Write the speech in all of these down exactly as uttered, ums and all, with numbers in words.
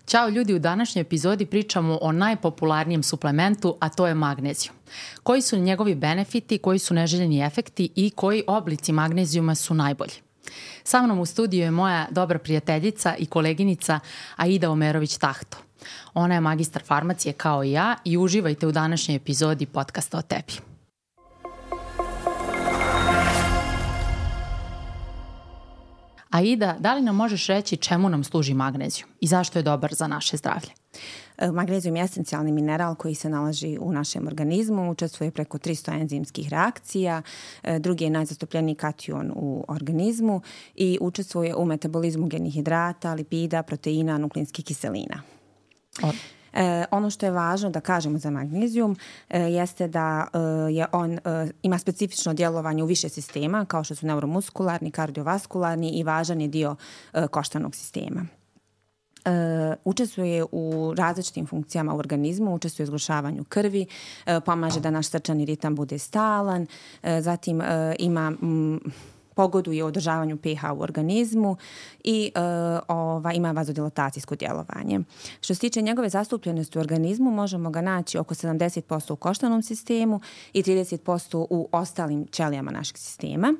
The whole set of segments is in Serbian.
Ćao ljudi, u današnjoj epizodi pričamo o najpopularnijem suplementu, a to je magnezijum. Koji su njegovi benefiti, koji su neželjeni efekti i koji oblici magnezijuma su najbolji? Sa mnom u studiju je moja dobra prijateljica i koleginica Aida Omerović-Tahto. Ona je magistar farmacije kao i ja i uživajte u današnjoj epizodi podcasta o tebi. Aida, da li nam možeš reći čemu nam služi magnezijum i zašto je dobar za naše zdravlje? Magnezijum je esencijalni mineral koji se nalazi u našem organizmu, učestvuje preko tristo enzimskih reakcija, drugi je najzastupljeniji kation u organizmu i učestvuje u metabolizmu genih hidrata, lipida, proteina, nukleinskih kiselina. O. E, ono što je važno da kažemo za magnezijum e, jeste da e, je on e, ima specifično djelovanje u više sistema kao što su neuromuskularni, kardiovaskularni i važan je dio e, koštanog sistema. Uh, učestvuje u različitim funkcijama u organizmu, učestvuje u zgrušavanju krvi, uh, pomaže da naš srčani ritam bude stalan, uh, zatim uh, ima mm, pogoduje održavanju pH u organizmu i uh, ova, ima vazodilatacijsko djelovanje. Što se tiče njegove zastupljenosti u organizmu, možemo ga naći oko sedamdeset posto u koštanom sistemu i trideset posto u ostalim ćelijama našeg sistema.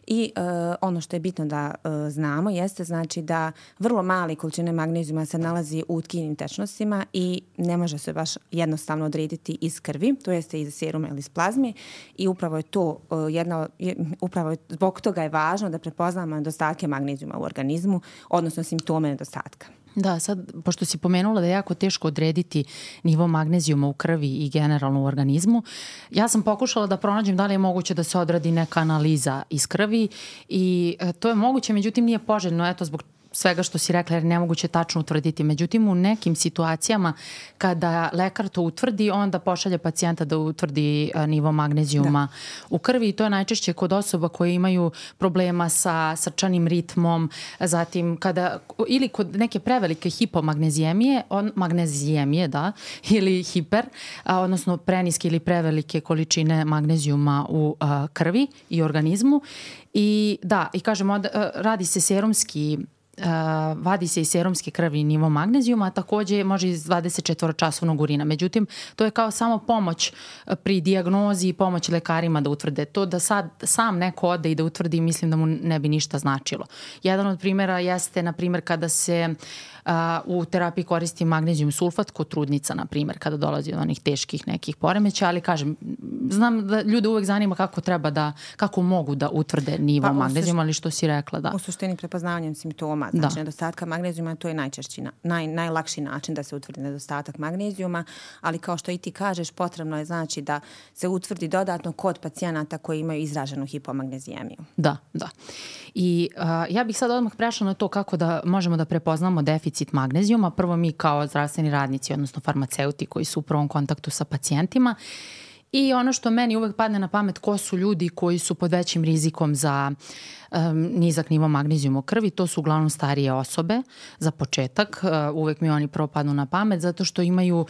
I uh, ono što je bitno da uh, znamo jeste znači da vrlo male količine magnezijuma se nalazi u tkinim tečnostima i ne može se baš jednostavno odrediti iz krvi, to jeste iz seruma ili iz plazme i upravo je to uh, jedna, upravo je, zbog toga je važno da prepoznamo nedostatke magnezijuma u organizmu, odnosno simptome nedostatka. Da, sad, pošto si pomenula da je jako teško odrediti nivo magnezijuma u krvi i generalno u organizmu, ja sam pokušala da pronađem da li je moguće da se odradi neka analiza iz krvi i to je moguće, međutim nije poželjno, eto, zbog svega što si rekla, jer nemoguće tačno utvrditi. Međutim, u nekim situacijama kada lekar to utvrdi, onda pošalje pacijenta da utvrdi nivo magnezijuma da. u krvi i to je najčešće kod osoba koje imaju problema sa srčanim ritmom, zatim kada, ili kod neke prevelike hipomagnezijemije, on, magnezijemije, da, ili hiper, a, odnosno preniske ili prevelike količine magnezijuma u a, krvi i organizmu. I da, i kažemo, a, radi se serumski Uh, vadi se iz serumske krvi nivo magnezijuma, a takođe može iz dvadeset četiri časovnog urina. Međutim, to je kao samo pomoć pri dijagnozi i pomoć lekarima da utvrde to, da sad sam neko ode i da utvrdi, mislim da mu ne bi ništa značilo. Jedan od primjera jeste, na primjer, kada se uh, u terapiji koristi magnezijum sulfat kod trudnica, na primjer, kada dolazi do onih teških nekih poremeća, ali kažem, znam da ljude uvek zanima kako treba da, kako mogu da utvrde nivo pa, magnezijuma, ali što si rekla, da. U suštini prepoznavanjem simptoma, znači da. nedostatka magnezijuma, to je najčešći, naj, najlakši način da se utvrdi nedostatak magnezijuma, ali kao što i ti kažeš, potrebno je znači da se utvrdi dodatno kod pacijenata koji imaju izraženu hipomagnezijemiju. Da, da. I uh, ja bih sad odmah prešla na to kako da možemo da prepoznamo deficit magnezijuma. Prvo mi kao zdravstveni radnici, odnosno farmaceuti koji su u prvom kontaktu sa pacijentima. I ono što meni uvek padne na pamet, ko su ljudi koji su pod većim rizikom za um, nizak nivo magnezijuma u krvi, to su uglavnom starije osobe za početak. Uh, uvek mi oni prvo padnu na pamet zato što imaju,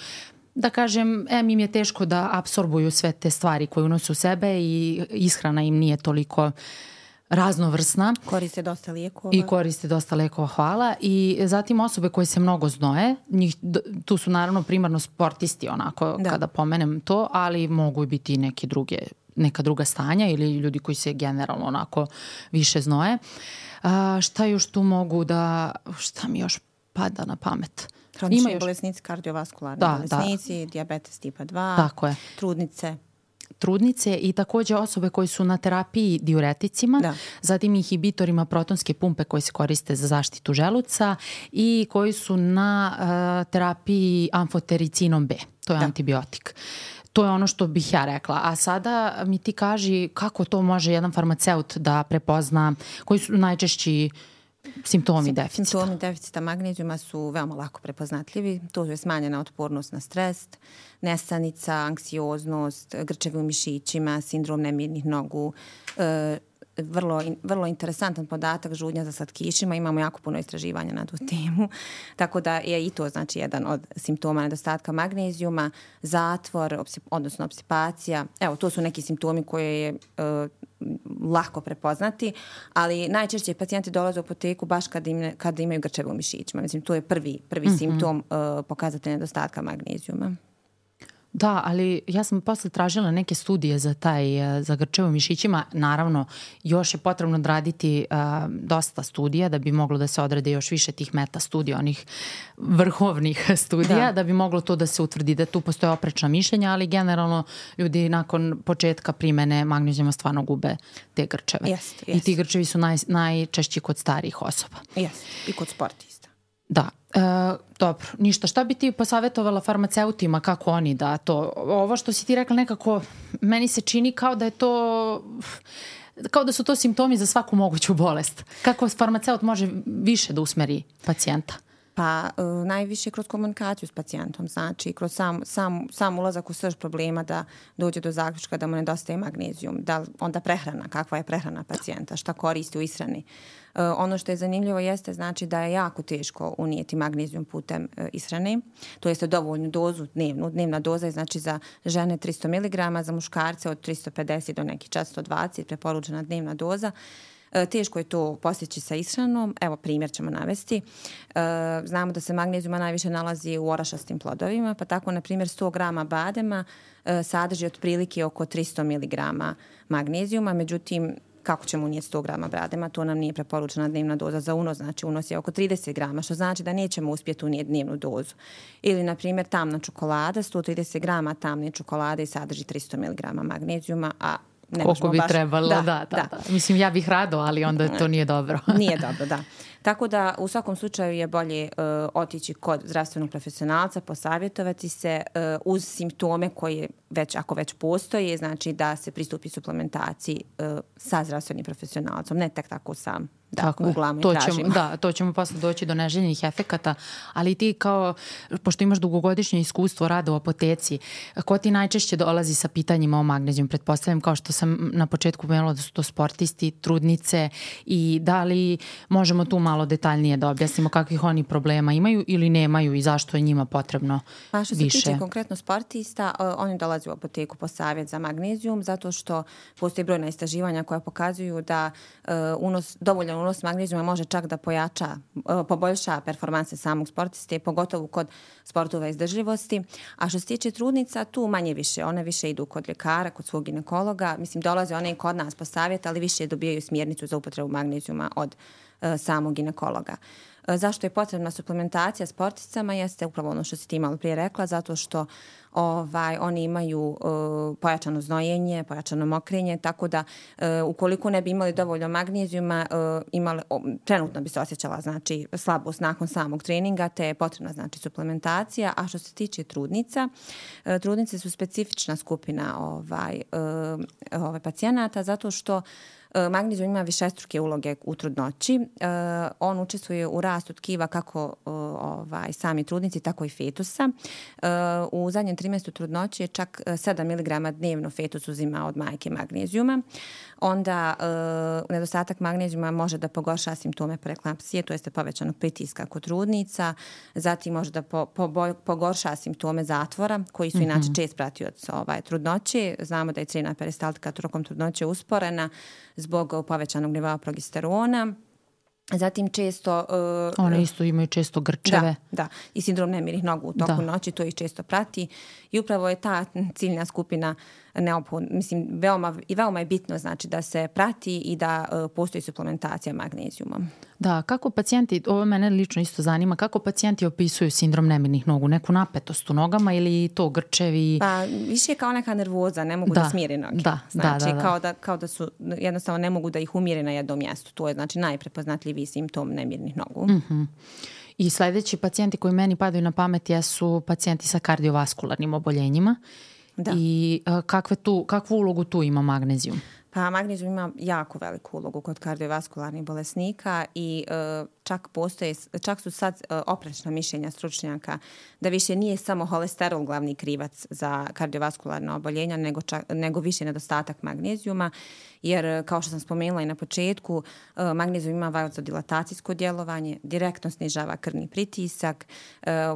da kažem, em im je teško da apsorbuju sve te stvari koje unose u sebe i ishrana im nije toliko raznovrsna. Koriste dosta lijekova. I koriste dosta lijekova, hvala. I zatim osobe koje se mnogo znoje, njih, tu su naravno primarno sportisti onako da. kada pomenem to, ali mogu biti i neke druge, neka druga stanja ili ljudi koji se generalno onako više znoje. A, šta još tu mogu da, šta mi još pada na pamet? Hronični još bolesnici, kardiovaskularni da, bolesnici, da. dijabetes tipa dva, tako je. trudnice. trudnice i takođe osobe koji su na terapiji diureticima, da. zatim inhibitorima protonske pumpe koji se koriste za zaštitu želuca i koji su na uh, terapiji amfotericinom B, to je da. antibiotik. To je ono što bih ja rekla. A sada mi ti kaži kako to može jedan farmaceut da prepozna, koji su najčešći simptomi deficita. Simptomi deficita magnezijuma su veoma lako prepoznatljivi. To je smanjena otpornost na stres, nesanica, anksioznost, grčevi u mišićima, sindrom nemirnih nogu, e, vrlo, vrlo interesantan podatak, žudnja za slatkišima. Imamo jako puno istraživanja na tu temu. Tako da je i to znači jedan od simptoma nedostatka magnezijuma, zatvor, opsip, odnosno opsipacija. Evo, to su neki simptomi koje je, e, lako prepoznati, ali najčešće pacijenti dolaze u apoteku baš kad, im, kad imaju grčeve u mišićima. Mislim, to je prvi, prvi mm-hmm. simptom uh, pokazatelja nedostatka magnezijuma. Da, ali ja sam posle tražila neke studije za taj, za grčeve u mišićima. Naravno, još je potrebno odraditi uh, dosta studija da bi moglo da se odrade još više tih meta studija, onih vrhovnih studija, da. da bi moglo to da se utvrdi da tu postoje oprečna mišljenja, ali generalno ljudi nakon početka primene magnezijuma stvarno gube te grčeve. Jest, jest. I ti grčevi su naj, najčešći kod starijih osoba. Jest, i kod sportista. Da, e, dobro, ništa. Šta bi ti posavjetovala farmaceutima, kako oni da to, ovo što si ti rekla nekako, meni se čini kao da je to, kao da su to simptomi za svaku moguću bolest. Kako farmaceut može više da usmeri pacijenta? Pa uh, najviše kroz komunikaciju s pacijentom, znači kroz sam, sam, sam ulazak u srž problema da dođe do zaključka da mu nedostaje magnezijum, da onda prehrana, kakva je prehrana pacijenta, šta koristi u ishrani. Uh, ono što je zanimljivo jeste znači da je jako teško unijeti magnezijum putem uh, ishrane, to jeste dovoljnu dozu dnevnu. Dnevna doza je znači za žene tristo miligrama, za muškarce od tristo pedeset do nekih četiristo dvadeset preporučena dnevna doza. Teško je to postići sa ishranom. Evo, primjer ćemo navesti. Znamo da se magnezijuma najviše nalazi u orašastim plodovima, pa tako, na primjer, sto grama badema sadrži otprilike oko tristo miligrama magnezijuma, međutim, kako ćemo unijeti sto grama badema, to nam nije preporučena dnevna doza za unos, znači unos je oko trideset grama, što znači da nećemo uspjeti unijeti dnevnu dozu. Ili, na primjer, tamna čokolada, sto trideset grama tamne čokolade sadrži tristo miligrama magnezijuma, a ne koliko bi baš trebalo, da, da, da, da. Mislim, ja bih rado, ali onda to nije dobro. Nije dobro, da. Tako da u svakom slučaju je bolje uh, otići kod zdravstvenog profesionalca, posavjetovati se uh, uz simptome koje već, ako već postoje, znači da se pristupi suplementaciji uh, sa zdravstvenim profesionalcom, ne tek tako sam. Da, tako googlamo to i tražimo. Ćemo, da, to ćemo posle doći do neželjenih efekata, ali ti kao, pošto imaš dugogodišnje iskustvo rada u apoteci, ko ti najčešće dolazi sa pitanjima o magnezijumu? Pretpostavljam, kao što sam na početku pomenula, da su to sportisti, trudnice, i da li možemo tu malo detaljnije da objasnimo kakvih oni problema imaju ili nemaju i zašto je njima potrebno više? Pa što se tiče konkretno sportista, uh, oni dolaze u apoteku po savjet za magnezijum zato što postoji brojna istraživanja koja pokazuju da uh, unos, dovoljan unos magnezijuma može čak da pojača, uh, poboljša performanse samog sportiste, pogotovo kod sportova izdržljivosti. A što se tiče trudnica, tu manje više. One više idu kod ljekara, kod svog ginekologa. Mislim, dolaze one i kod nas po savjet, ali više dobijaju smjernicu za upotrebu magnezijuma od uh, samog ginekologa. Uh, zašto je potrebna suplementacija sportisticama jeste upravo ono što si ti malo prije rekla, zato što ovaj, oni imaju uh, pojačano znojenje, pojačano mokrenje, tako da uh, ukoliko ne bi imali dovoljno magnezijuma, uh, imali, oh, trenutno bi se osjećala znači, slabost nakon samog treninga, te je potrebna znači, suplementacija. A što se tiče trudnica, uh, trudnice su specifična skupina ovaj, uh, ovaj, pacijenata zato što magnezijum ima višestruke uloge u trudnoći. Uh, on učestvuje u rastu tkiva kako uh, ovaj, sami trudnici, tako i fetusa. Uh, u zadnjem trimestru trudnoći je čak sedam miligrama dnevno fetus uzima od majke magnezijuma. Onda uh, nedostatak magnezijuma može da pogorša simptome preeklampsije, to jeste povećanog pritiska kod trudnica. Zatim može da po, po, pogorša simptome zatvora, koji su mm-hmm. inače čest pratioci ovaj, trudnoće. Znamo da je crevna peristaltika tokom trudnoće usporena zbog povećanog nivoa progesterona. Zatim često... Uh, One isto imaju često grčeve. Da, da. I sindrom nemirnih nogu u toku da. noći, to ih često prati. I upravo je ta ciljna skupina neophodna. Mislim, veoma, i veoma je bitno znači da se prati i da uh, postoji suplementacija magnezijumom. Da, kako pacijenti, ovo mene lično isto zanima, kako pacijenti opisuju sindrom nemirnih nogu? Neku napetost u nogama ili to grčevi? Pa više je kao neka nervoza, ne mogu da, da smire noge. Da, znači, da, da, da. Kao, da, kao da su, jednostavno ne mogu da ih umire na jednom mjestu. To je znači najprepoznatljiviji simptom nemirnih nogu. Mm-hmm. I sljedeći pacijenti koji meni padaju na pamet jesu pacijenti sa kardiovaskularnim oboljenjima. Da. I uh, kakve tu, kakvu ulogu tu ima magnezijum? Pa magnezijum ima jako veliku ulogu kod kardiovaskularnih bolesnika i uh, čak postoje, čak su sad uh, oprečna mišljenja stručnjaka da više nije samo holesterol glavni krivac za kardiovaskularna oboljenja, nego, čak, nego više nedostatak magnezijuma, jer kao što sam spomenula i na početku, uh, magnezijum ima vazodilatacijsko djelovanje, direktno snižava krvni pritisak,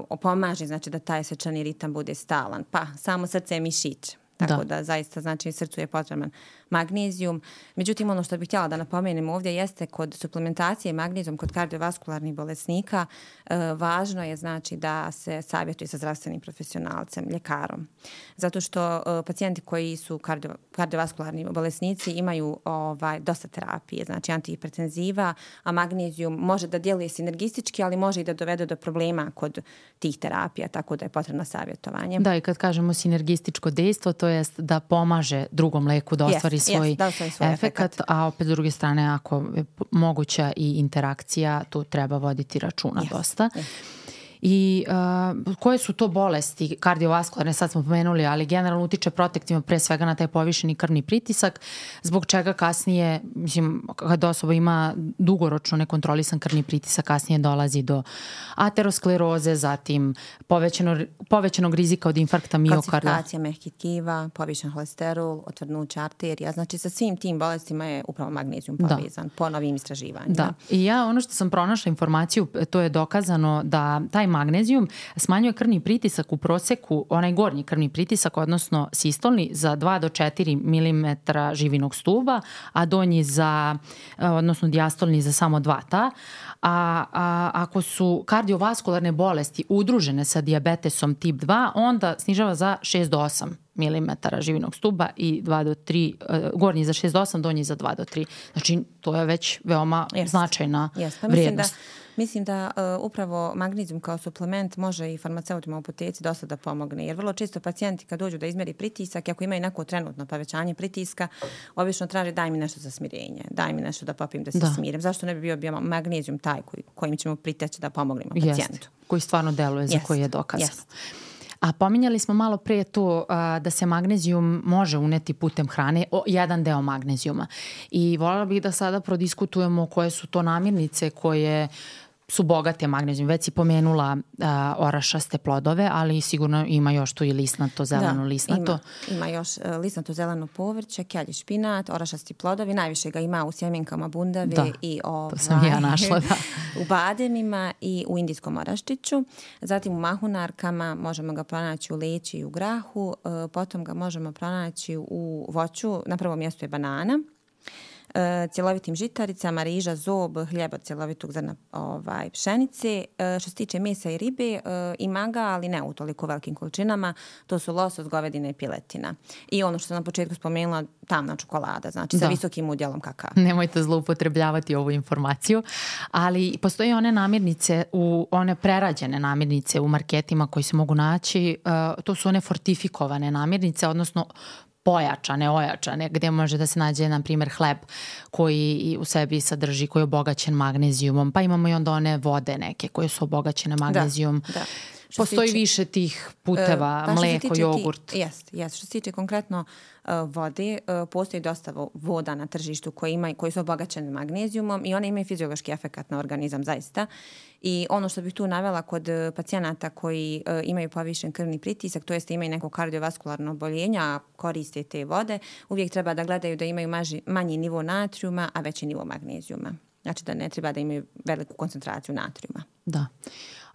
uh, pomaže znači da taj srčani ritam bude stalan, pa samo srce je mišić. Tako da. da zaista znači srcu je potreban magnezijum. Međutim, ono što bih htjela da napomenem ovdje jeste kod suplementacije magnezijom kod kardiovaskularnih bolesnika e, važno je znači da se savjetuje sa zdravstvenim profesionalcem, ljekarom. Zato što e, pacijenti koji su kardio, kardiovaskularni bolesnici imaju ovaj, dosta terapije, znači antihipertenziva, a magnezijum može da djeluje sinergistički, ali može i da dovede do problema kod tih terapija, tako da je potrebno savjetovanje. Da, i kad kažemo sinergističko dejstvo, to jest da pomaže drugom leku da ostvari yes, svoj, yes, da ostvari svoj efekat, efekat, a opet s druge strane, ako je moguća i interakcija, tu treba voditi računa yes, dosta. Yes. I uh, koje su to bolesti kardiovaskularne, sad smo pomenuli, ali generalno utiče protektivno pre svega na taj povišeni krvni pritisak, zbog čega kasnije, mislim, kad osoba ima dugoročno nekontrolisan krvni pritisak, kasnije dolazi do ateroskleroze, zatim povećano, povećanog rizika od infarkta miokarda. Kalcifikacija mehkih tkiva, povišen holesterol, otvrdnuće arterija, znači sa svim tim bolestima je upravo magnezijum povezan po novim istraživanjima. Da, i ja ono što sam pronašla informaciju, to je dokazano da taj magnezijum smanjuje krvni pritisak u proseku, onaj gornji krvni pritisak, odnosno sistolni, za dva do četiri milimetra živinog stuba, a donji za, odnosno dijastolni za samo dva ta. A, a ako su kardiovaskularne bolesti udružene sa dijabetesom tip dva, onda snižava za šest do osam milimetara živinog stuba i dva do tri, gornji za šest do osam, donji za dva do tri. Znači, to je već veoma yes. značajna yes. pa vrijednost. Mislim da uh, upravo magnezijum kao suplement može i farmaceutima u apoteci dosta da pomogne, jer vrlo često pacijenti kad dođu da izmeri pritisak, ako imaju neko trenutno povećanje pritiska, obično traže daj mi nešto za smirenje, daj mi nešto da popim da se da. smirim. Zašto ne bi bio, bio magnezijum taj koji, kojim ćemo priteći da pomognemo pacijentu? Jest, koji stvarno deluje, za koji je dokazano. Jest. A pominjali smo malo prije to a, da se magnezijum može uneti putem hrane, o, jedan deo magnezijuma. I voljela bih da sada prodiskutujemo koje su to namirnice koje su bogate magnezijum. Već si pomenula uh, orašaste plodove, ali sigurno ima još tu i lisnato, zeleno da, lisnato. Ima, ima još uh, lisnato zeleno povrće, kelj, špinat, orašasti plodovi. Najviše ga ima u sjemenkama bundave da, i ovaj, to sam ja našla, da. u bademima i u indijskom oraščiću. Zatim u mahunarkama možemo ga pronaći u leći i u grahu. Uh, potom ga možemo pronaći u voću. Na prvom mjestu je banana. Uh, cjelovitim žitaricama, riža, zob, hljeba cjelovitog zrna ovaj, pšenice. Uh, što se tiče mesa i ribe, uh, ima ga, ali ne u toliko velikim količinama. To su losos, govedina i piletina. I ono što sam na početku spomenula, tamna čokolada, znači da. sa visokim udjelom kakao. Nemojte zloupotrebljavati ovu informaciju, ali postoje one namirnice, u, one prerađene namirnice u marketima koji se mogu naći. Uh, to su one fortifikovane namirnice, odnosno pojačane, ojačane, gdje može da se nađe, na primjer, hleb koji u sebi sadrži, koji je obogaćen magnezijumom, pa imamo i onda one vode neke koje su obogaćene magnezijom. Da, da. Postoji tiče, više tih puteva, uh, mleko, jogurt. Jeste, jest. Što se tiče konkretno uh, vode, uh, postoji dosta voda na tržištu koji, ima, koji su obogaćene magnezijumom i one imaju fiziološki efekat na organizam zaista. I ono što bih tu navela kod pacijenata koji uh, imaju povišen krvni pritisak, to jest imaju neko kardiovaskularno oboljenje, a koriste te vode, uvijek treba da gledaju da imaju maži, manji nivo natrijuma, a veći nivo magnezijuma. Znači da ne treba da imaju veliku koncentraciju natrijuma. Da.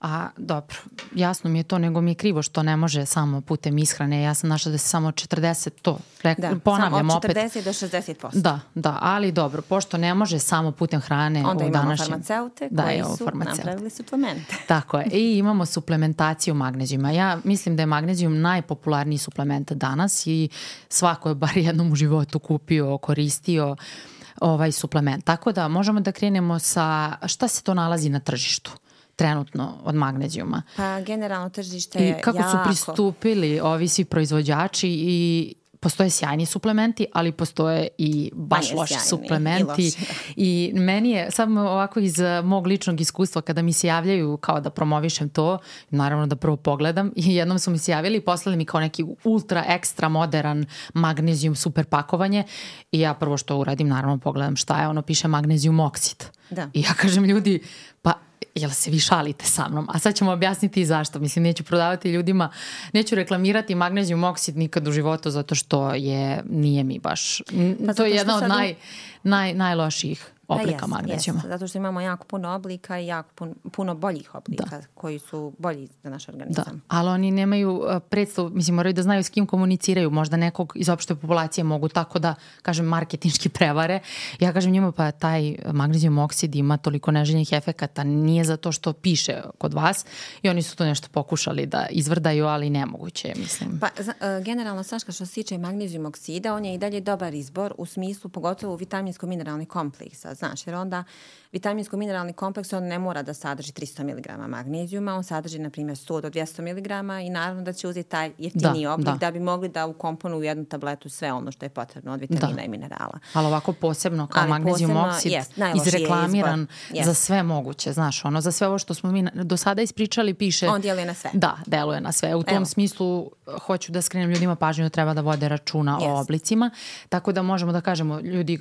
A dobro, jasno mi je to, nego mi je krivo što ne može samo putem ishrane. Ja sam našla da se samo četrdeset to, rek, da, ponavljam samo opet. od četrdeset do šezdeset posto. Da, da, ali dobro, pošto ne može samo putem hrane onda u imamo današnjem... farmaceute da, koji evo, su farmaceute. napravili suplemente. Tako je, i imamo suplementaciju magnezijuma. Ja mislim da je magnezijum najpopularniji suplement danas i svako je bar jednom u životu kupio, koristio ovaj suplement. Tako da možemo da krenemo sa šta se to nalazi na tržištu trenutno od magnezijuma. Pa generalno tržište je i kako jako... su pristupili ovi svi proizvođači i postoje sjajni suplementi, ali postoje i baš loši suplementi. I, I meni je, samo ovako iz mog ličnog iskustva, kada mi se javljaju kao da promovišem to, naravno da prvo pogledam, i jednom su mi se javili i poslali mi kao neki ultra ekstra modern magnezijum super pakovanje i ja prvo što uradim, naravno pogledam šta je, ono piše magnezijum oksid. Da. I ja kažem ljudi, pa jel se vi šalite sa mnom? A sad ćemo objasniti i zašto. Mislim, neću prodavati ljudima, neću reklamirati magnezijum oksid nikad u životu, zato što je, nije mi baš, pa to je jedna od naj, naj, najlošijih oblika jest, magnezijuma. Jest, zato što imamo jako puno oblika i jako puno, puno boljih oblika da. koji su bolji za naš organizam. Da, ali oni nemaju predstavu, mislim, moraju da znaju s kim komuniciraju, možda nekog iz opšte populacije mogu tako da, kažem, marketinški prevare. Ja kažem njima, pa taj magnezijum oksid ima toliko neželjenih efekata, nije zato što piše kod vas i oni su to nešto pokušali da izvrdaju, ali nemoguće, mislim. Pa, generalno, Saška, što se tiče magnezijum oksida, on je i dalje dobar izbor u smislu, pogotovo vitaminsko-mineralni kompleksa, znaš, jer onda vitaminsko-mineralni kompleks on ne mora da sadrži tristo miligrama magnezijuma, on sadrži, na primjer, sto do dvjesto miligrama i naravno da će uzeti taj jeftiniji da, oblik da. da bi mogli da ukomponu u jednu tabletu sve ono što je potrebno od vitamina da. i minerala. Ali ovako posebno kao Ali magnezijum posebno, oksid yes, izreklamiran yes. za sve moguće, znaš, ono, za sve ovo što smo mi do sada ispričali piše... On djeluje na sve. Da, deluje na sve. U tom Evo. smislu hoću da skrenem ljudima pažnju da treba da vode računa yes. o oblicima, tako da možemo da kažemo ljudi,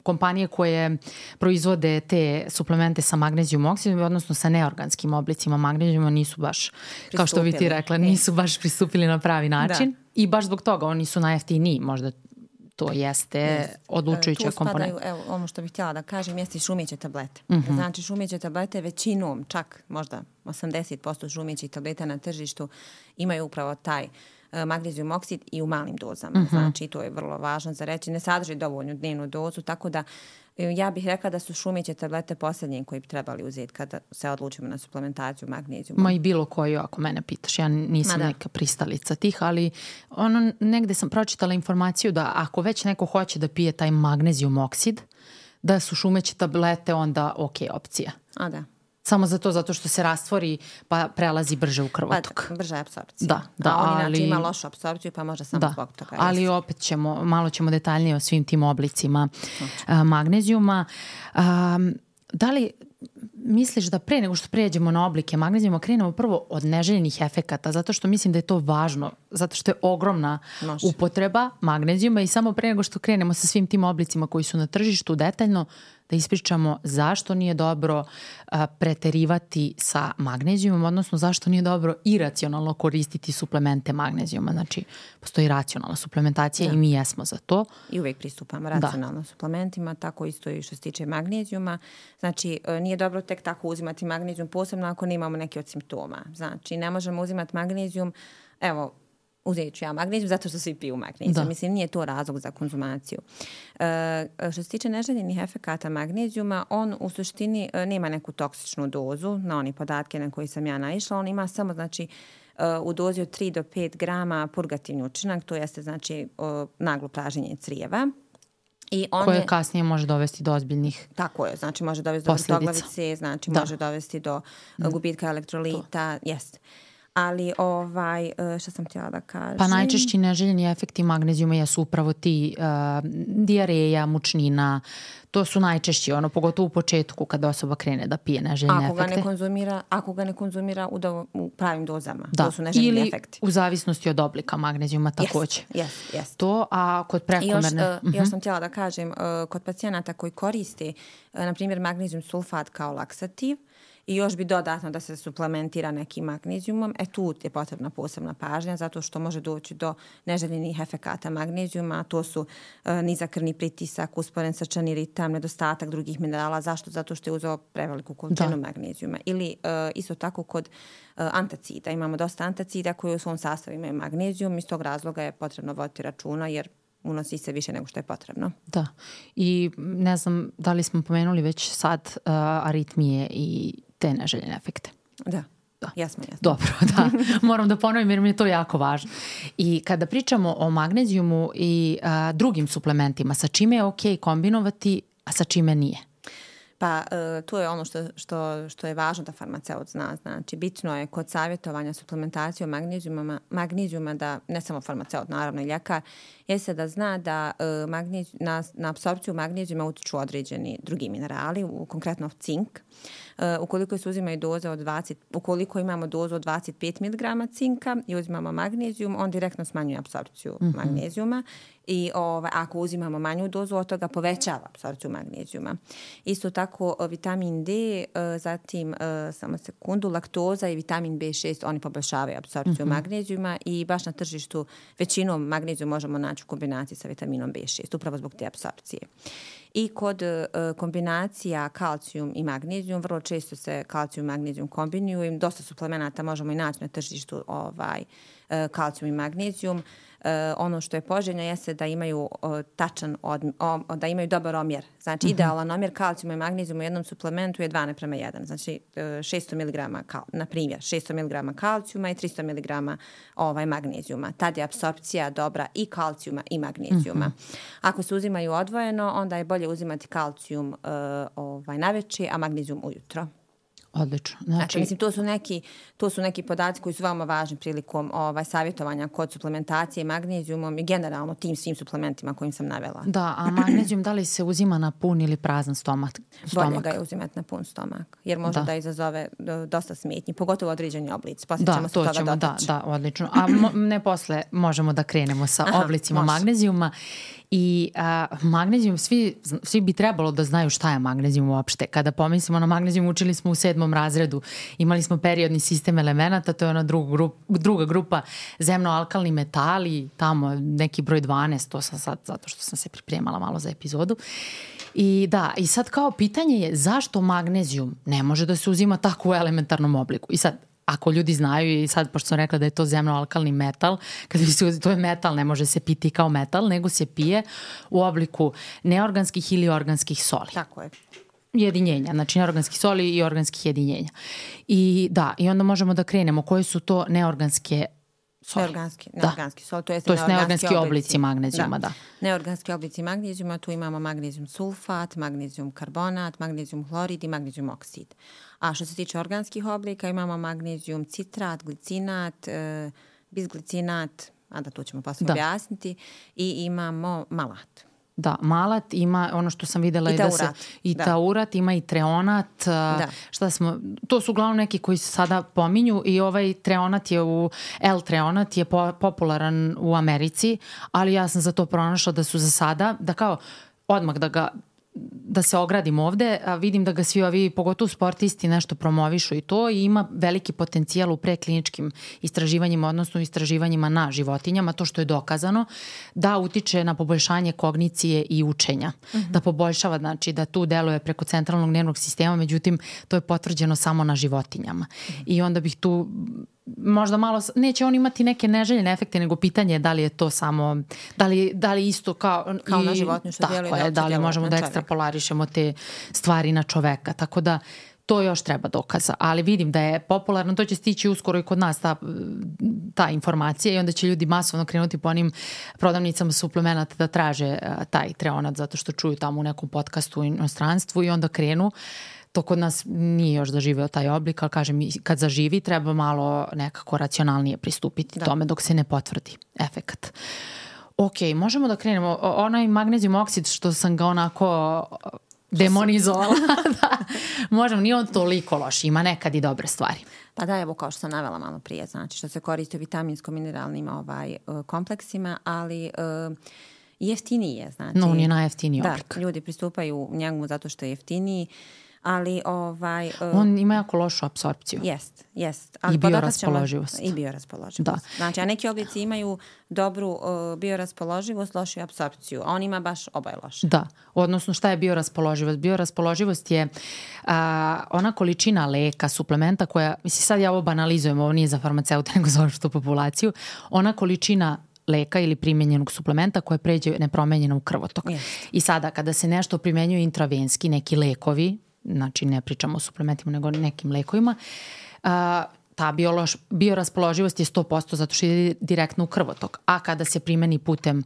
kompanije koje proizvode te suplemente sa magnezijum oksidom, odnosno sa neorganskim oblicima magnezijuma nisu baš, pristupili. Kao što bi ti rekla, nisu baš pristupili na pravi način da. i baš zbog toga oni su najjeftiniji, možda to jeste yes. odlučujuća komponenta. Tu spadaju, evo, ono što bih htjela da kažem, jeste i šumeće tablete. Mm-hmm. Znači, šumeće tablete većinom, čak možda osamdeset posto šumećih tableta na tržištu imaju upravo taj uh, magnezijum oksid i u malim dozama. Mm-hmm. Znači, to je vrlo važno za reći. Ne sadrži dovoljnu dnevnu dozu, tako da ja bih rekla da su šumeće tablete posljednje koji bi trebali uzeti kada se odlučimo na suplementaciju magnezijuma. Ma i bilo koju, ako mene pitaš. Ja nisam neka pristalica tih, ali ono, negde sam pročitala informaciju da ako već neko hoće da pije taj magnezijum oksid, da su šumeće tablete onda ok opcija. A da. Samo zato, zato što se rastvori pa prelazi brže u krvotok. Pa, brža je apsorpcija. Da, da, a on ali, inače ima lošu apsorpciju pa može samo da, zbog toga. Ali jest. opet ćemo, malo ćemo detaljnije o svim tim oblicima a, magnezijuma. A, da li misliš da pre nego što pređemo na oblike magnezijuma krenemo prvo od neželjenih efekata, zato što mislim da je to važno, zato što je ogromna Može. upotreba magnezijuma i samo pre nego što krenemo sa svim tim oblicima koji su na tržištu detaljno, da ispričamo zašto nije dobro a, preterivati sa magnezijumom, odnosno zašto nije dobro iracionalno koristiti suplemente magnezijuma. Znači, postoji racionalna suplementacija da. i mi jesmo za to. I uvijek pristupamo racionalno da. suplementima, tako isto i što se tiče magnezijuma. Znači, nije dobro tek tako uzimati magnezijum, posebno ako nemamo neke od simptoma. Znači, ne možemo uzimati magnezijum, evo, uzet ću ja magnezijum zato što svi piju magnezijum. Da. Mislim, nije to razlog za konzumaciju. E, što se tiče neželjenih efekata magnezijuma, on u suštini nema neku toksičnu dozu, na one podatke na koje sam ja naišla. On ima samo, znači, u dozi od tri do pet grama purgativni učinak, to jeste, znači, naglo praženje crijeva. I on koje je, kasnije može dovesti do ozbiljnih Tako je, znači može dovesti do vrtoglavice, znači da. može dovesti do gubitka elektrolita, jeste. Ali ovaj, što sam htjela da kažem? Pa najčešći neželjeni efekti magnezijuma jesu upravo ti uh, dijareja, mučnina, to su najčešći, ono, pogotovo u početku kada osoba krene da pije neželjene ako efekte. Ga ne konzumira, ako ga ne konzumira u, do, u pravim dozama, da. to su neželjeni Ili efekti. Ili u zavisnosti od oblika magnezijuma također. Yes, yes, yes. To, a kod prekomerne... Još, uh, još sam htjela da kažem, uh, kod pacijenata koji koriste, uh, na primjer, magnezijum sulfat kao laksativ, i još bi dodatno da se suplementira nekim magnezijumom. E tu je potrebna posebna pažnja zato što može doći do neželjenih efekata magnezijuma. To su uh, nizak krvni pritisak, usporen srčani ritam, nedostatak drugih minerala. Zašto? Zato što je uzeo preveliku količinu magnezijuma. Ili uh, isto tako kod uh, antacida. Imamo dosta antacida koji u svom sastavu imaju magnezijum. Iz tog razloga je potrebno voditi računa jer unosi se više nego što je potrebno. Da. I ne znam da li smo pomenuli već sad uh, aritmije i te neželjene efekte. Da. Da. Jasno, jasno. Dobro, da. Moram da ponovim jer mi je to jako važno. I kada pričamo o magnezijumu i a, drugim suplementima, sa čime je ok kombinovati, a sa čime nije? Pa uh, to je ono što, što, što je važno da farmaceut zna. Znači, bitno je kod savjetovanja suplementacijom magnezijuma, magnezijuma da, ne samo farmaceut, naravno i ljekar, jeste da zna da uh, magnez, na, na apsorpciju magnezijuma utiču određeni drugi minerali, u, konkretno cink. Uh, ukoliko se uzimaju doze od dvadeset, ukoliko imamo dozu od dvadeset pet miligrama cinka i uzimamo magnezijum, on direktno smanjuje apsorpciju mm-hmm. magnezijuma. I ovaj, ako uzimamo manju dozu od toga, povećava apsorpciju magnezijuma. Isto tako vitamin D, zatim samo sekundu, laktoza i vitamin B šest, oni poboljšavaju apsorpciju mm-hmm. magnezijuma i baš na tržištu većinom magneziju možemo naći u kombinaciji sa vitaminom B šest, upravo zbog te apsorpcije. I kod uh, kombinacija kalcijum i magnezijum, vrlo često se kalcijum i magnezijum kombinuju i dosta suplemenata možemo i naći na tržištu ovaj, uh, kalcijum i magnezijum. Uh, ono što je poželjno jeste da imaju uh, tačan od, o, da imaju dobar omjer. Znači mm-hmm. idealan omjer kalcijuma i magnezijuma u jednom suplementu je dva naprema jedan. Znači uh, šesto miligrama kal, na primjer šesto miligrama kalcijuma i tristo miligrama ovaj magnezijuma. Tad je apsorpcija dobra i kalcijuma i magnezijuma. Mm-hmm. Ako se uzimaju odvojeno, onda je bolje uzimati kalcijum uh, ovaj naveče, a magnezijum ujutro. Odlično. Znači, znači mislim, to su neki, to su neki podaci koji su veoma važni prilikom ovaj, savjetovanja kod suplementacije magnezijumom i generalno tim svim suplementima kojim sam navela. Da, a magnezijum da li se uzima na pun ili prazan stomak? stomak? Bolje ga je uzimati na pun stomak, jer može da, da izazove dosta smetnji, pogotovo određeni oblici. Poslije da, ćemo se to toga ćemo, dotaći. Da, da, odlično. A mo, ne posle možemo da krenemo sa Aha, oblicima može. magnezijuma. I a, magnezijum, svi, svi bi trebalo da znaju šta je magnezijum uopšte. Kada pomislimo na magnezijum, učili smo u sedmom razredu. Imali smo periodni sistem elemenata, to je ona druga grupa, druga grupa zemno-alkalni metali, tamo neki broj dvanaest, to sam sad zato što sam se pripremala malo za epizodu. I da, i sad kao pitanje je zašto magnezijum ne može da se uzima tako u elementarnom obliku. I sad, ako ljudi znaju i sad, pošto sam rekla da je to zemno-alkalni metal, kad bi se, to je metal, ne može se piti kao metal, nego se pije u obliku neorganskih ili organskih soli. Tako je. Jedinjenja, znači neorganskih soli i organskih jedinjenja. I da, i onda možemo da krenemo koje su to neorganske soli. Neorganski, neorganski sol, to je to neorganski, neorganski oblici, oblici magnezijuma, da. da. Neorganski oblici magnezijuma, tu imamo magnezijum sulfat, magnezijum karbonat, magnezijum hlorid i magnezijum oksid. A što se tiče organskih oblika, imamo magnezijum citrat, glicinat, e, bisglicinat, a da to ćemo posle da. objasniti, i imamo malat. Da, malat ima ono što sam videla i, i taurat, da se i da. taurat, ima i treonat, da. šta smo, to su uglavnom neki koji se sada pominju i ovaj treonat je u, L-treonat je po, popularan u Americi, ali ja sam za to pronašla da su za sada, da kao odmah da ga da se ogradim ovde, a vidim da ga svi ovi, pogotovo sportisti, nešto promovišu i to i ima veliki potencijal u prekliničkim istraživanjima, odnosno istraživanjima na životinjama, to što je dokazano, da utiče na poboljšanje kognicije i učenja. Mm-hmm. Da poboljšava, znači da tu deluje preko centralnog nervnog sistema, međutim to je potvrđeno samo na životinjama. Mm-hmm. I onda bih tu možda malo, neće on imati neke neželjene efekte, nego pitanje je da li je to samo, da li, da li isto kao, kao i, na životinju što djeluje. Tako je, da li možemo da ekstrapolarišemo te stvari na čoveka, tako da to još treba dokaza, ali vidim da je popularno, to će stići uskoro i kod nas ta, ta informacija i onda će ljudi masovno krenuti po onim prodavnicama suplemenata da traže taj treonat zato što čuju tamo u nekom podcastu u inostranstvu i onda krenu. To kod nas nije još zaživeo taj oblik, ali kažem, kad zaživi treba malo nekako racionalnije pristupiti da. tome dok se ne potvrdi efekat. Ok, možemo da krenemo. Onaj magnezijum oksid što sam ga onako demonizovala, da, možemo, nije on toliko loš, ima nekad i dobre stvari. Pa da, evo kao što sam navela malo prije, znači što se koristi u vitaminsko-mineralnim ovaj, kompleksima, ali uh, jeftiniji je, znači. No, on je najjeftiniji oblik. Da, ljudi pristupaju njemu zato što je jeftiniji, ali ovaj... Uh, on ima jako lošu apsorpciju. Jest, jest. Ali i bioraspoloživost. I bioraspoloživost. Da. Znači, a neki oblici imaju dobru uh, bioraspoloživost, lošu apsorpciju, a on ima baš oboje loše. Da, odnosno šta je bioraspoloživost? Bioraspoloživost je uh, ona količina leka, suplementa koja, mislim sad ja ovo banalizujem, ovo nije za farmaceute, nego za opštu populaciju, ona količina leka ili primjenjenog suplementa koje pređe nepromenjeno u krvotok. Yes. I sada kada se nešto primenjuje intravenski, neki lekovi, znači ne pričamo o suplementima nego nekim lekovima, a, ta biološ, bioraspoloživost je sto posto zato što ide direktno u krvotok. A kada se primeni putem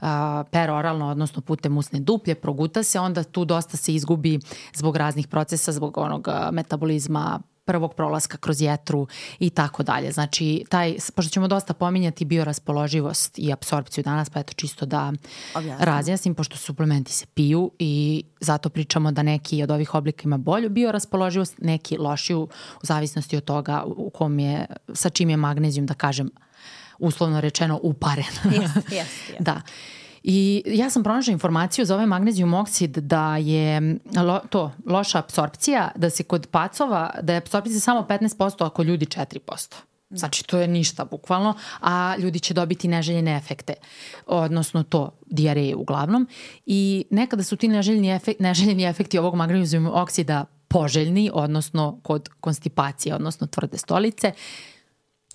a, peroralno, odnosno putem usne duplje, proguta se, onda tu dosta se izgubi zbog raznih procesa, zbog onog a, metabolizma, prvog prolaska kroz jetru i tako dalje. Znači, taj, pošto ćemo dosta pominjati bioraspoloživost i apsorpciju danas, pa eto čisto da Objasnim. razjasnim, pošto suplementi se piju i zato pričamo da neki od ovih oblika ima bolju bioraspoloživost, neki lošiju u zavisnosti od toga u kom je, sa čim je magnezijum, da kažem, uslovno rečeno uparen. Yes, yes, yes. Da. I ja sam pronašla informaciju za ovaj magnezijum oksid da je lo, to loša apsorpcija, da se kod pacova, da je apsorpcija samo petnaest posto, ako ljudi četiri posto. Znači, to je ništa bukvalno, a ljudi će dobiti neželjene efekte, odnosno to, dijareje uglavnom. I nekada su ti neželjeni, efekt, neželjeni efekti ovog magnezijumog oksida poželjni, odnosno kod konstipacije, odnosno tvrde stolice,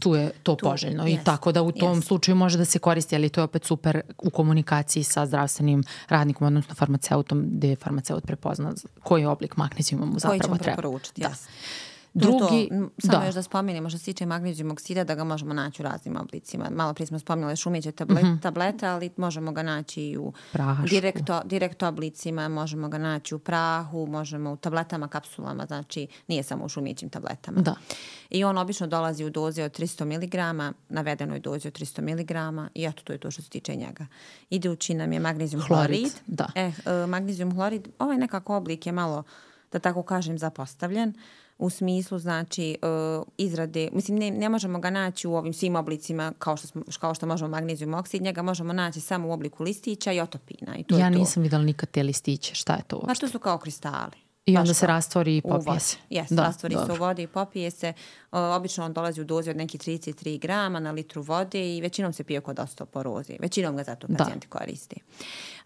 tu je to tu, poželjno. Yes, I tako da u tom yes. slučaju može da se koristi, ali to je opet super u komunikaciji sa zdravstvenim radnikom, odnosno farmaceutom, gde je farmaceut prepozna koji oblik magnezijuma mu zapravo treba. Koji ćemo preporučiti, da. Yes. Drugi, to, samo da. još da spomenemo što se tiče magnezijum oksida, da ga možemo naći u raznim oblicima. Malo prije smo spomenuli šumeće tablet, mm-hmm. tablete, ali možemo ga naći i u direkto, direkto oblicima, možemo ga naći u prahu, možemo u tabletama, kapsulama, znači nije samo u šumećim tabletama. Da. I on obično dolazi u dozi od tristo miligrama, navedenoj dozi od tristo miligrama i eto to je to što se tiče njega. Idući nam je magnezijum hlorid. hlorid. Da. E, magnezijum hlorid, ovaj nekako oblik je malo, da tako kažem, zapostavljen. U smislu, znači, uh, izrade, mislim, ne, ne možemo ga naći u ovim svim oblicima kao što, smo, kao što možemo magnezijum oksid, njega možemo naći samo u obliku listića i otopina. I to ja je to. Nisam vidjela nikad te listiće, šta je to uopšte? Pa to su kao kristali. I onda se rastvori i popije se. Jes, da, rastvori dobro. se u vodi i popije se. O, obično on dolazi u dozi od nekih trideset tri grama na litru vode i većinom se pije kod osteoporoze. Većinom ga zato pacijenti da. koristi.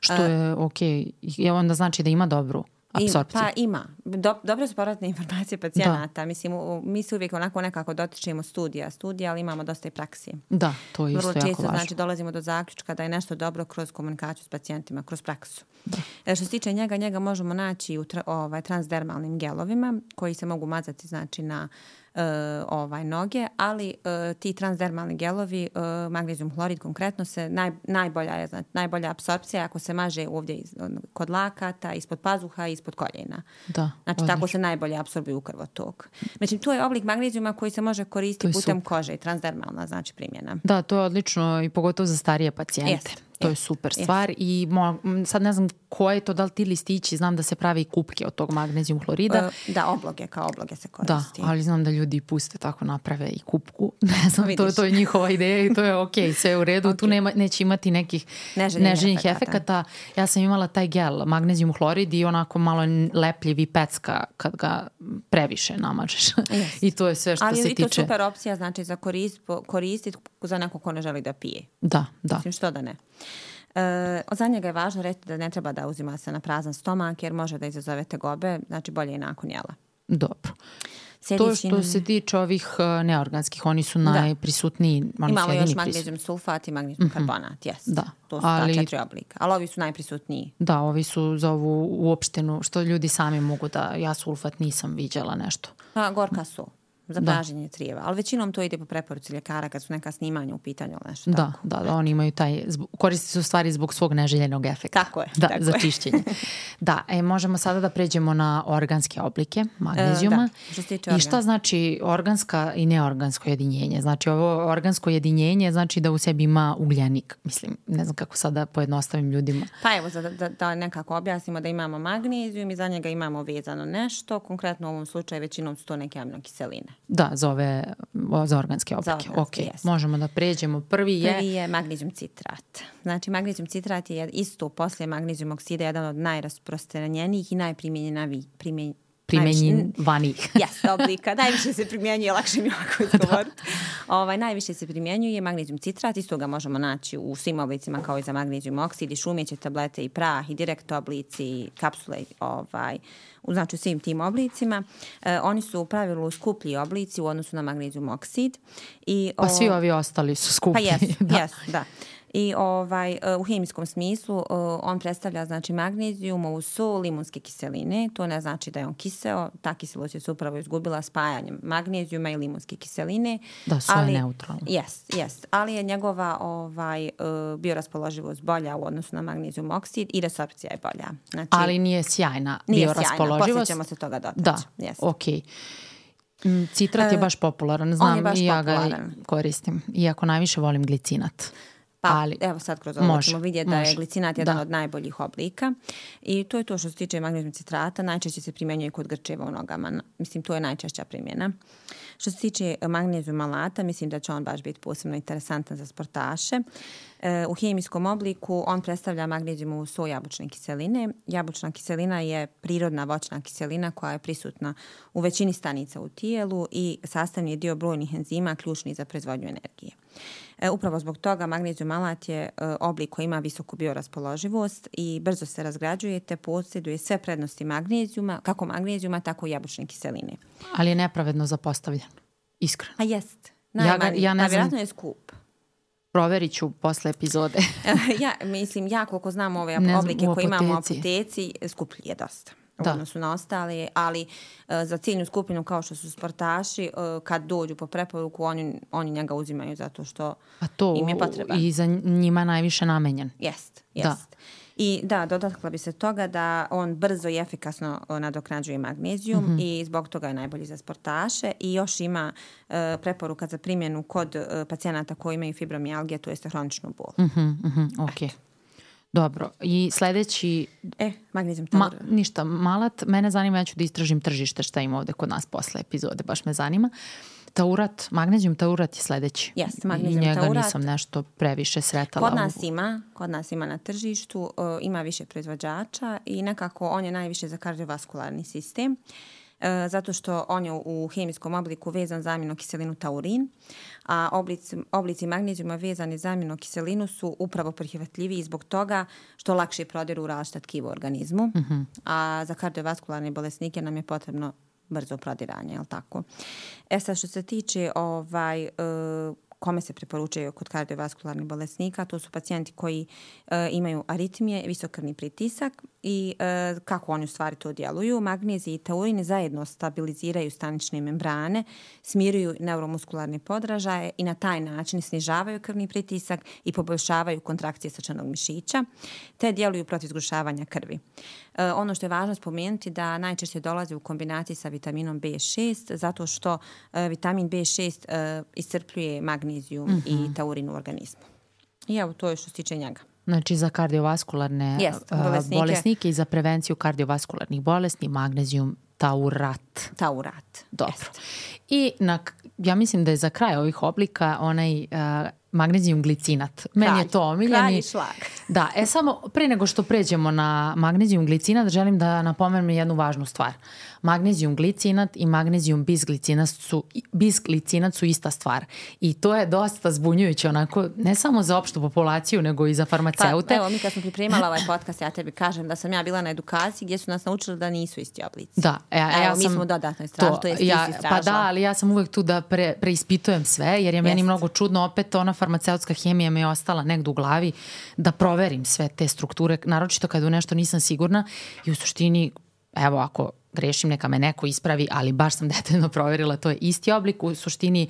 Što je okej. Okay. Onda znači da ima dobru apsorpciju. Pa ima. Do, dobre su povratne informacije pacijenata. Mislim, u, mi se uvijek onako nekako dotičemo studija, studija, ali imamo dosta i praksi. Da, to je isto Vrlo jako često, važno. znači, dolazimo do zaključka da je nešto dobro kroz komunikaciju s pacijentima, kroz praksu. Da. Što se tiče njega, njega možemo naći u tra, ovaj, transdermalnim gelovima koji se mogu mazati, znači, na Uh, ovaj noge, ali uh, ti transdermalni gelovi, uh, magnezijum hlorid konkretno se naj, najbolja je, znači najbolja apsorpcija ako se maže ovdje iz, kod lakata, ispod pazuha i ispod koljena. Da, znači odlično. Tako se najbolje apsorbuju u krvotok. Znači to je oblik magnezijuma koji se može koristiti putem super. kože, transdermalna znači primjena. Da, to je odlično i pogotovo za starije pacijente. Jest. To je super stvar yes. i mo, sad ne znam koje je to, da li ti listići, znam da se pravi kupke od tog magnezijum hlorida. Uh, da, obloge, kao obloge se koristi. Da, ali znam da ljudi puste tako naprave i kupku. Ne znam, to, to je njihova ideja i to je ok, sve u redu. Okay. Tu nema, neće imati nekih neželjenih efekata. Ja sam imala taj gel, magnezijum hlorid i onako malo lepljiv i pecka kad ga previše namažeš. Yes. I to je sve što ali se tiče. Ali i to super opcija, znači za korist, koristiti za neko ko ne želi da pije. Da, da. Mislim, što da ne. E, za njega je važno reći da ne treba da uzima se na prazan stomak jer može da izazove tegobe, znači bolje i nakon jela. Dobro. Sljedeći... To što se tiče ovih neorganskih, oni su da. najprisutniji. Imamo još magnezijum sulfat i magnezijum mm-hmm. karbonat, yes. Da. To su ali... ta četiri oblika, ali ovi su najprisutniji. Da, ovi su za ovu uopštenu, što ljudi sami mogu da, ja sulfat nisam viđala nešto. Pa gorka su. Za praženje crijeva, ali većinom to ide po preporuci ljekara kad su neka snimanja u pitanju ili nešto da, tako. Da, da, oni imaju taj, koristi su stvari zbog svog neželjenog efekta. Tako je. Da, tako za je. čišćenje. Da, e, možemo sada da pređemo na organske oblike magnezijuma. E, da, što se tiče organ. I šta znači organska i neorgansko jedinjenje? Znači ovo organsko jedinjenje znači da u sebi ima ugljenik. Mislim, ne znam kako sada pojednostavim ljudima. Pa evo, da, da, da nekako objasnimo da imamo magnezijum i za njega imamo vezano nešto. Konkretno u ovom slučaju većinom su to neke aminokiseline. Da, za ove za organske oblike. Za organske, ok, yes. Možemo da pređemo. Prvi je... Prvi je magnezijum citrat. Znači, magnezijum citrat je isto poslije magnezijum oksida jedan od najrasprostranjenijih i najprimjenjenavijih primjen... primjenjivanih. Jes, oblika. Najviše se primjenjuje, lakše mi ovako izgovoriti. Ovaj, najviše se primjenjuje magnezijum citrat. Isto ga možemo naći u svim oblicima kao i za magnezijum oksid i šumeće tablete i prah i direkt oblici i kapsule ovaj, znači u svim tim oblicima. E, oni su u pravilu skuplji oblici u odnosu na magnezijum oksid. I, pa o... svi ovi ostali su skuplji. Pa jes, da. Jes, da. I ovaj, u hemijskom smislu on predstavlja znači magnezijum uz sol limunske kiseline. To ne znači da je on kiseo. Ta kiselost je se upravo izgubila spajanjem magnezijuma i limunske kiseline. Da, sve je neutralno. Jest, jest. Ali je njegova ovaj, bioraspoloživost bolja u odnosu na magnezijum oksid i resorpcija je bolja. Znači, ali nije sjajna nije bioraspoloživost. Sjajna. Poslije ćemo se toga dotaći. Da, yes. okej. Okay. Citrat je baš popularan, znam je baš i ja popularan. ga koristim. Iako najviše volim glicinat. Pa, ali evo sad kroz ovo ćemo vidjeti da je može. glicinat jedan Da. od najboljih oblika i to je to što se tiče magnezijum citrata, najčešće se primjenjuje kod grčeva u nogama, mislim to je najčešća primjena. Što se tiče magnezijum malata, mislim da će on baš biti posebno interesantan za sportaše. E, u hemijskom obliku on predstavlja magnezijumovu soj jabučne kiseline. Jabučna kiselina je prirodna voćna kiselina koja je prisutna u većini stanica u tijelu i sastavni je dio brojnih enzima ključni za proizvodnju energije. E, upravo zbog toga magnezijum malat je e, oblik koji ima visoku bioraspoloživost i brzo se razgrađuje te posjeduje sve prednosti magnezijuma, kako magnezijuma, tako i jabučne kiseline. Ali je nepravedno zapostavljen, iskreno. A jest. Ja, ga, ja ne a znam, vjerojatno je skup. proverit ću posle epizode. ja, mislim, ja koliko znam ove Ne znam, oblike u koje imamo u apoteci. apoteci, skuplji je dosta. U Da. odnosu na ostale, ali uh, za ciljnu skupinu kao što su sportaši, uh, kad dođu po preporuku, oni, oni njega uzimaju zato što A to im je potreban. i za njima najviše namenjen. Jest, Da. jest. I da, dotakla bi se toga da on brzo i efikasno uh, nadoknađuje magnezijum mm-hmm. i zbog toga je najbolji za sportaše i još ima uh, preporuka za primjenu kod uh, pacijenata koji imaju fibromijalgije, to jest hroničnu bol. Mhm, mhm, ok. Dobro. I sledeći... E, magnezijum Ma, taur. ništa, malat. Mene zanima, ja ću da istražim tržište šta ima ovde kod nas posle epizode, baš me zanima. Taurat, magnezijum taurat je sledeći. Jeste, magnezijum I njega taurat. nisam nešto previše sretala. Kod nas u... ima, kod nas ima na tržištu, uh, ima više proizvođača i nekako on je najviše za kardiovaskularni sistem. Uh, zato što on je u hemijskom obliku vezan za aminokiselinu taurin, a oblici, oblici magnezijuma vezani za aminokiselinu su upravo prihvatljiviji zbog toga što lakše prodiru u različita tkiva u organizmu, mm-hmm. a za kardiovaskularne bolesnike nam je potrebno brzo prodiranje, je li tako? E sad, što se tiče ovaj, uh, kome se preporučuje kod kardiovaskularnih bolesnika, to su pacijenti koji uh, imaju aritmije, visok krvni pritisak i uh, kako oni u stvari to djeluju. Magnezij i taurin zajedno stabiliziraju stanične membrane, smiruju neuromuskularne podražaje i na taj način snižavaju krvni pritisak i poboljšavaju kontrakcije srčanog mišića, te djeluju protiv zgrušavanja krvi. Uh, ono što je važno spomenuti da najčešće dolazi u kombinaciji sa vitaminom B šest, zato što uh, vitamin B šest uh, iscrpljuje magnezijum mm-hmm. i taurin u organizmu. I evo, to je što se tiče njega. Znači za kardiovaskularne Jest, uh, bolesnike. bolesnike i za prevenciju kardiovaskularnih bolesti magnezijum taurat. Taurat. Dobro. Jest. I na, ja mislim da je za kraj ovih oblika onaj uh, magnezijum glicinat. Meni Kralj. je to omiljeni. Kralj i šlag. Da, e samo pre nego što pređemo na magnezijum glicinat, želim da napomenem jednu važnu stvar. Magnezijum glicinat i magnezijum bisglicinat su, bisglicinat su ista stvar. I to je dosta zbunjujuće onako, ne samo za opštu populaciju, nego i za farmaceute. Pa, evo, mi kad smo pripremala ovaj podcast, ja tebi kažem da sam ja bila na edukaciji gdje su nas naučili da nisu isti oblici. Da, e, evo, ja mi sam smo dodatno istražili, to, to jest ja, ti si istražila. Pa da, ali ja sam uvek tu da pre, preispitujem sve, jer je meni Jest. mnogo čudno, opet ona farmaceutska hemija mi je ostala negdje u glavi da proverim sve te strukture, naročito kad u nešto nisam sigurna i u suštini, evo ako grešim neka me neko ispravi, ali baš sam detaljno proverila, to je isti oblik, u suštini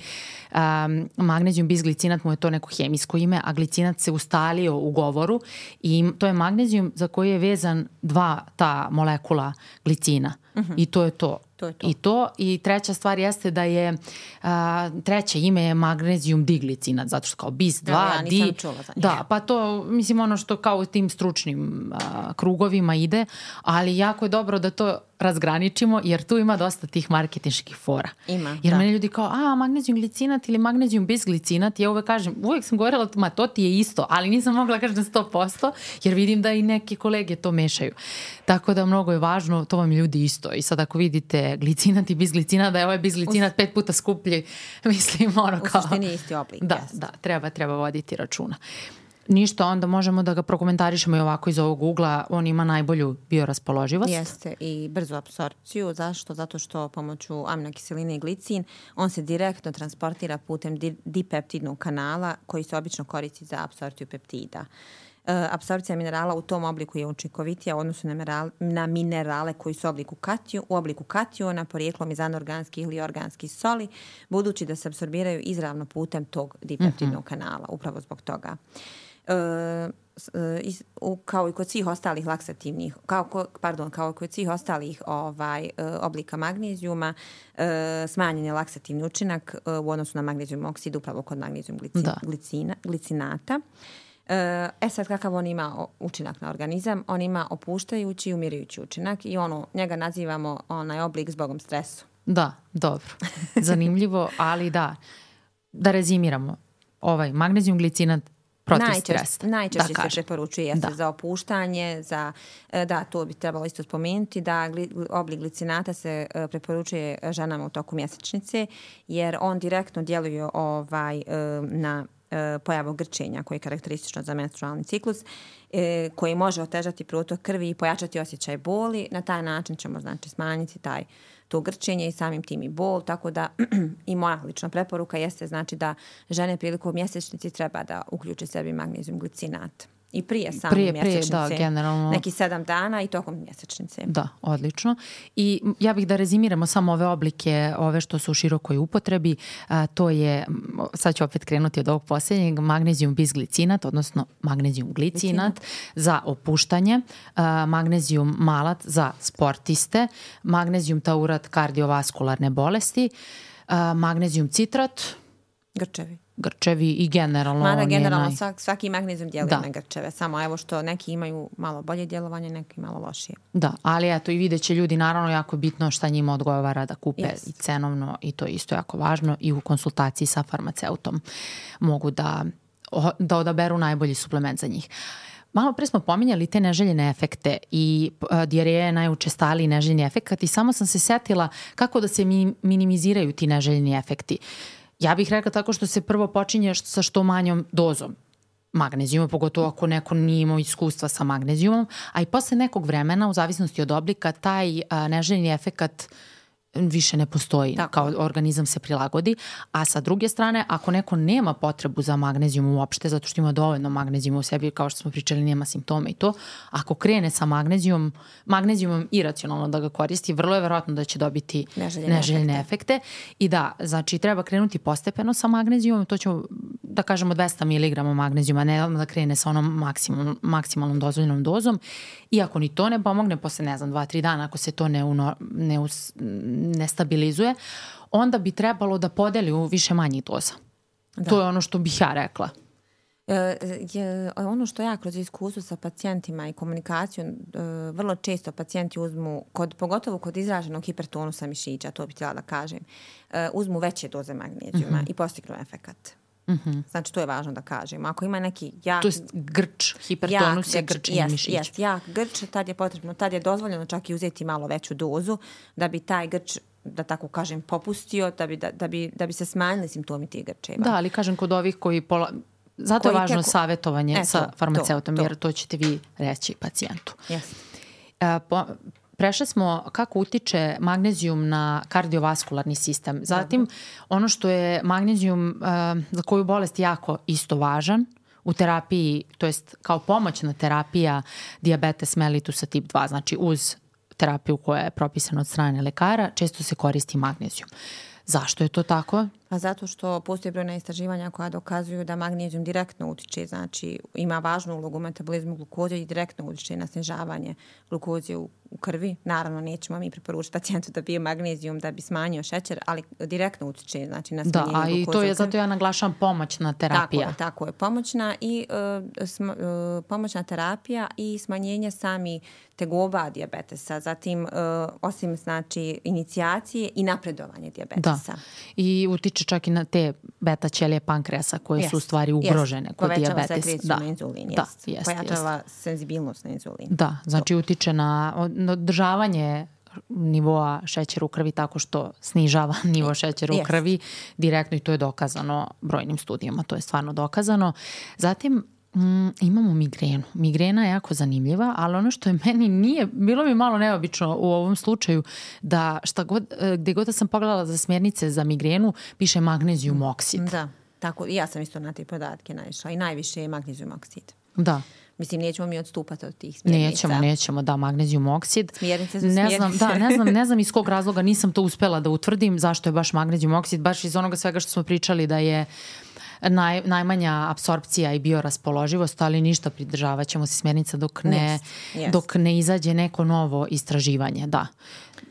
um, magnezijum bisglicinat mu je to neko hemijsko ime, a glicinat se ustalio u govoru i to je magnezijum za koji je vezan dva ta molekula glicina uh-huh. i to je to. To je to. I to. I treća stvar jeste da je, a, treće ime je magnezijum diglicinat, zato što kao bis dva, ja di. nisam čula za njega. Da, pa to, mislim, ono što kao u tim stručnim a, krugovima ide, ali jako je dobro da to razgraničimo, jer tu ima dosta tih marketinških fora. Ima, jer da. meni ljudi kao, a, magnezijum glicinat ili magnezijum bisglicinat, ja uvek kažem, uvek sam govorila, ma to ti je isto, ali nisam mogla kažem sto posto, jer vidim da i neke kolege to mešaju. Tako da mnogo je važno, to vam ljudi isto. I sad ako vidite glicinat i bisglicinat, da je ovaj bisglicinat pet puta skuplji, mislim, ono kao... U suštini je isti oblik. Da, jest. da, treba, treba voditi računa. Ništa, onda možemo da ga prokomentarišemo i ovako iz ovog ugla. On ima najbolju bioraspoloživost. Jeste i brzu apsorpciju. Zašto? Zato što pomoću aminokiseline i glicin on se direktno transportira putem di- dipeptidnog kanala koji se obično koristi za apsorpciju peptida. Uh, apsorpcija minerala u tom obliku je učinkovitija u odnosu na, mineral, na minerale koji su u obliku, katiju, u obliku kationa, porijeklom iz anorganskih ili organskih soli, budući da se apsorbiraju izravno putem tog dipeptidnog mm-hmm. kanala, upravo zbog toga. E, kao i kod svih ostalih laksativnih, kao, pardon, kao i kod svih ostalih ovaj, oblika magnezijuma, smanjen je laksativni učinak u odnosu na magnezijum oksid, upravo kod magnezijum glicina, glicina, glicinata. E sad, kakav on ima učinak na organizam? On ima opuštajući i umirajući učinak i ono, njega nazivamo onaj oblik zbogom stresu. Da, dobro. Zanimljivo, ali da. Da rezimiramo. Ovaj magnezijum glicinat protiv stresa. Najčešće da se preporučuje jeste da. za opuštanje, za, da, to bi trebalo isto spomenuti, da gli, oblik glicinata se preporučuje ženama u toku mjesečnice, jer on direktno djeluje ovaj, na pojavu grčenja koje je karakteristično za menstrualni ciklus, koji može otežati protok krvi i pojačati osjećaj boli. Na taj način ćemo znači smanjiti taj to grčenje i samim tim i bol, tako da i moja lična preporuka jeste znači da žene prilikom mjesečnici treba da uključe sebi magnezijum glicinat. I prije same prije, mjesečnice, prije, da, generalno, neki sedam dana i tokom mjesečnice. Da, odlično. I ja bih da rezimiramo samo ove oblike, ove što su u širokoj upotrebi. A, to je, sad ću opet krenuti od ovog posljednjeg, magnezijum bisglicinat, odnosno magnezijum glicinat, glicinat. za opuštanje, a, magnezijum malat za sportiste, magnezijum taurat kardiovaskularne bolesti, a, magnezijum citrat, grčevi. grčevi i generalno... Mada generalno naj... svaki, svaki magnezijum djeluje da. na grčeve, samo evo što neki imaju malo bolje djelovanje, neki malo lošije. Da, ali eto i vidjet će ljudi, naravno jako bitno šta njima odgovara da kupe yes. i cenovno i to je isto jako važno i u konsultaciji sa farmaceutom mogu da, da odaberu najbolji suplement za njih. Malo pre smo pominjali te neželjene efekte i uh, dijareja je najučestaliji neželjeni efekt i samo sam se setila kako da se mi, minimiziraju ti neželjeni efekti. Ja bih rekla tako što se prvo počinje sa što manjom dozom magnezijuma, pogotovo ako neko nije imao iskustva sa magnezijumom, a i posle nekog vremena, u zavisnosti od oblika, taj a, neželjeni efekat više ne postoji, tako. Kao organizam se prilagodi, a sa druge strane, ako neko nema potrebu za magnezijum uopšte, zato što ima dovoljno magnezijuma u sebi, kao što smo pričali, nema simptoma i to, ako krene sa magnezijumom, magnezijumom iracionalno da ga koristi, vrlo je verovatno da će dobiti neželjene, neželjene efekte. efekte. I da, znači treba krenuti postepeno sa magnezijumom, to ćemo da kažemo dvesta miligrama magnezijuma, ne da krene sa onom maksimum, maksimalnom dozvoljenom dozom. I ako ni to ne pomogne, posle ne znam, dva, tri dana, ako se to ne, uno, ne, us, ne stabilizuje, onda bi trebalo da podeli u više manjih doza. Da. To je ono što bih ja rekla. E, je, ono što ja kroz iskustvo sa pacijentima i komunikaciju, e, vrlo često pacijenti uzmu, kod, pogotovo kod izraženog hipertonusa mišića, to bih htjela da kažem, e, uzmu veće doze magnezijuma mm-hmm. i postignu efekat. Mm-hmm. Znači, to je važno da kažem. Ako ima neki jak... To je grč, hipertonus je grčenje mišića. Jest, jak grč, tad je potrebno, tad je dozvoljeno čak i uzeti malo veću dozu da bi taj grč, da tako kažem, popustio, da bi, da, da bi, da bi se smanjili simptomi tih grčeva. Da, ali kažem kod ovih koji... Pola... Zato koji je važno teko... savjetovanje e, sa to, farmaceutom, to, to. jer to ćete vi reći pacijentu. Yes. E, po... Prešli smo kako utiče magnezijum na kardiovaskularni sistem. Zatim, ono što je magnezijum uh, za koju bolest jako isto važan u terapiji, to jest kao pomoćna terapija dijabetes mellitusa tip dva, znači uz terapiju koja je propisana od strane lekara, često se koristi magnezijum. Zašto je to tako? Pa zato što postoje brojna istraživanja koja dokazuju da magnezijum direktno utiče, znači ima važnu ulogu u metabolizmu glukoze i direktno utiče na snižavanje glukoze u, u krvi. Naravno, nećemo mi preporučiti pacijentu da pije magnezijum da bi smanjio šećer, ali direktno utiče znači, na smanjenje glukoze. Da, a i to je zato ja naglašam pomoćna terapija. Tako je, tako je. Pomoćna, i, uh, sm, uh, pomoćna terapija i smanjenje sami tegoba dijabetesa. Zatim, uh, osim znači, inicijacije i napredovanje dijabetesa. Da, i utiče čak i na te beta ćelije pankreasa koje yes. su u stvari ugrožene yes. kod dijabetesa. Povećava sekreciju da. na inzulin, da, jest. Jest, pojačava jest. senzibilnost na inzulin. Da, znači utiče na održavanje nivoa šećera u krvi tako što snižava nivo šećera yes. u krvi direktno i to je dokazano brojnim studijama, to je stvarno dokazano. Zatim Mm, imamo migrenu. Migrena je jako zanimljiva, ali ono što je meni nije, bilo mi malo neobično u ovom slučaju da šta god, gde god da sam pogledala za smjernice za migrenu, piše magnezijum oksid. Da, tako, i ja sam isto na te podatke naišla i najviše je magnezijum oksid. Da. Mislim, nećemo mi odstupati od tih smjernica. Nećemo, nećemo, da, magnezijum oksid. Smjernice su ne smjernice. Znam, da, ne znam, ne znam iz kog razloga nisam to uspela da utvrdim zašto je baš magnezijum oksid, baš iz onoga svega što smo pričali da je naj, najmanja apsorpcija i bioraspoloživost, ali ništa, pridržavat ćemo se smjernica dok ne, yes, yes. dok ne izađe neko novo istraživanje, da.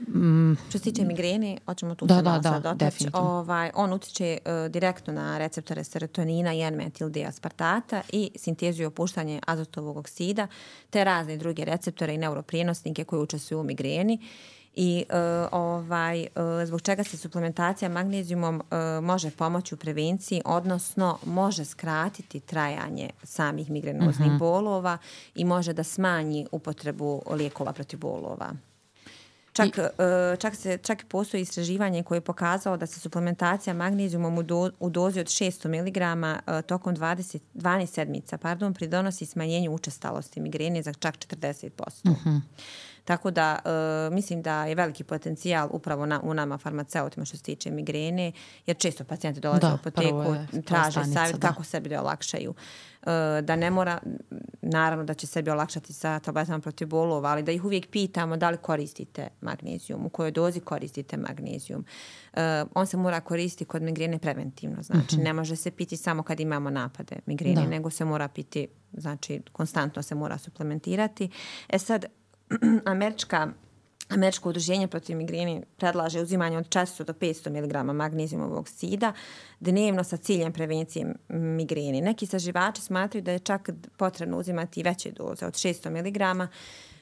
Mm. Što se tiče migrene, hoćemo tu da, se da, malo da, sad dotaći. Ovaj, on utiče uh, direktno na receptore serotonina i N-metil D-aspartata i sintezu i opuštanje azotovog oksida, te razne druge receptore i neuroprijenosnike koji učestvuju u migreni. I uh, ovaj, uh, zbog čega se suplementacija magnezijumom uh, može pomoći u prevenciji, odnosno može skratiti trajanje samih migrenoznih uh-huh. bolova i može da smanji upotrebu lijekova protiv bolova. Čak, I, uh, čak, se, čak postoji istraživanje koje je pokazalo da se suplementacija magnezijumom u, do, u dozi od šesto miligrama uh, tokom dvadeset, dvanaest sedmica pardon, pridonosi smanjenju učestalosti migrene za čak četrdeset posto. Uh-huh. Tako da uh, mislim da je veliki potencijal upravo na, u nama farmaceutima što se tiče migrene, jer često pacijenti dolaze da, u apoteku, traže savjet kako sebi da olakšaju. Uh, da ne mora, naravno da će sebi olakšati sa tabletama protiv bolova, ali da ih uvijek pitamo da li koristite magnezijum, u kojoj dozi koristite magnezijum. Uh, on se mora koristiti kod migrene preventivno, znači uh-huh. ne može se piti samo kad imamo napade migrene, da. nego se mora piti, znači konstantno se mora suplementirati. E sad, Američka, Američko udruženje protiv migreni predlaže uzimanje od četiristo do petsto miligrama magnezijumovog oksida dnevno sa ciljem prevencije migreni. Neki istraživači smatraju da je čak potrebno uzimati veće doze od šesto miligrama.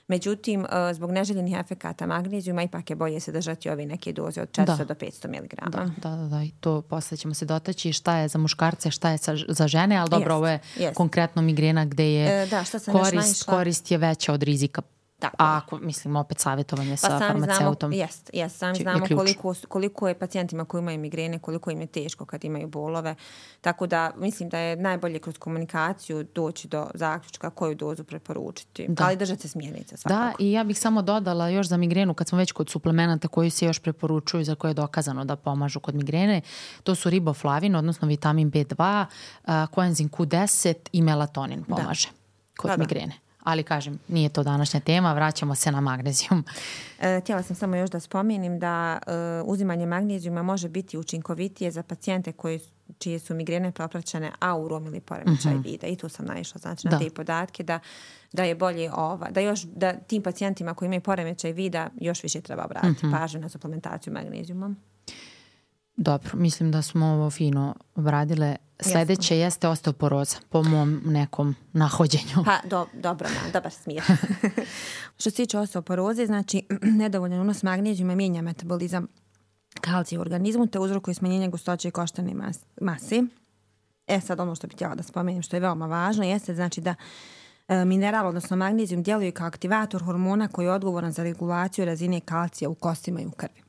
Međutim, zbog neželjenih efekata magnezijuma ipak je bolje se držati ove neke doze od četiristo do petsto miligrama. Da, da, da, da. I to posle ćemo se dotaći šta je za muškarce, šta je za žene, ali dobro, yes, ovo je yes. konkretno migrena gde je e, da, korist, korist je veća od rizika. Tako. A ako, mislim, opet savjetovanje pa sa farmaceutom. Jest, jest, sami znamo koliko, koliko je pacijentima koji imaju migrene, koliko im je teško kad imaju bolove. Tako da mislim da je najbolje kroz komunikaciju doći do zaključka koju dozu preporučiti. Da. Ali držati se smjernica svakako. Da, i ja bih samo dodala još za migrenu, kad smo već kod suplemenata koji se još preporučuju, za koje je dokazano da pomažu kod migrene, to su riboflavin, odnosno vitamin B dva, koenzim Q deset i melatonin pomaže da. kod da, migrene. Da. Ali kažem, nije to današnja tema, vraćamo se na magnezijum. E, htjela sam samo još da spomenim da e, uzimanje magnezijuma može biti učinkovitije za pacijente koji, čije su migrene propraćene aurom ili poremećaj uh-huh. vida. I tu sam naišla znači, na te podatke da, da je bolje ova, da još da tim pacijentima koji imaju poremećaj vida još više treba obratiti uh-huh. pažnju na suplementaciju magnezijumom. Dobro, mislim da smo ovo fino obradile. Sljedeće Jasno. jeste osteoporoza, po mom nekom nahođenju. Pa, do, dobro, na, dobar smjer. Što se tiče osteoporoze, znači, nedovoljan unos magnezijuma mijenja metabolizam kalcija u organizmu, te uzrokuje smanjenje gustoće i koštane mas, mase. E sad, ono što bih htjela da spomenem, što je veoma važno, jeste znači da e, mineral, odnosno magnezijum, djeluje kao aktivator hormona koji je odgovoran za regulaciju razine kalcija u kostima i u krvi.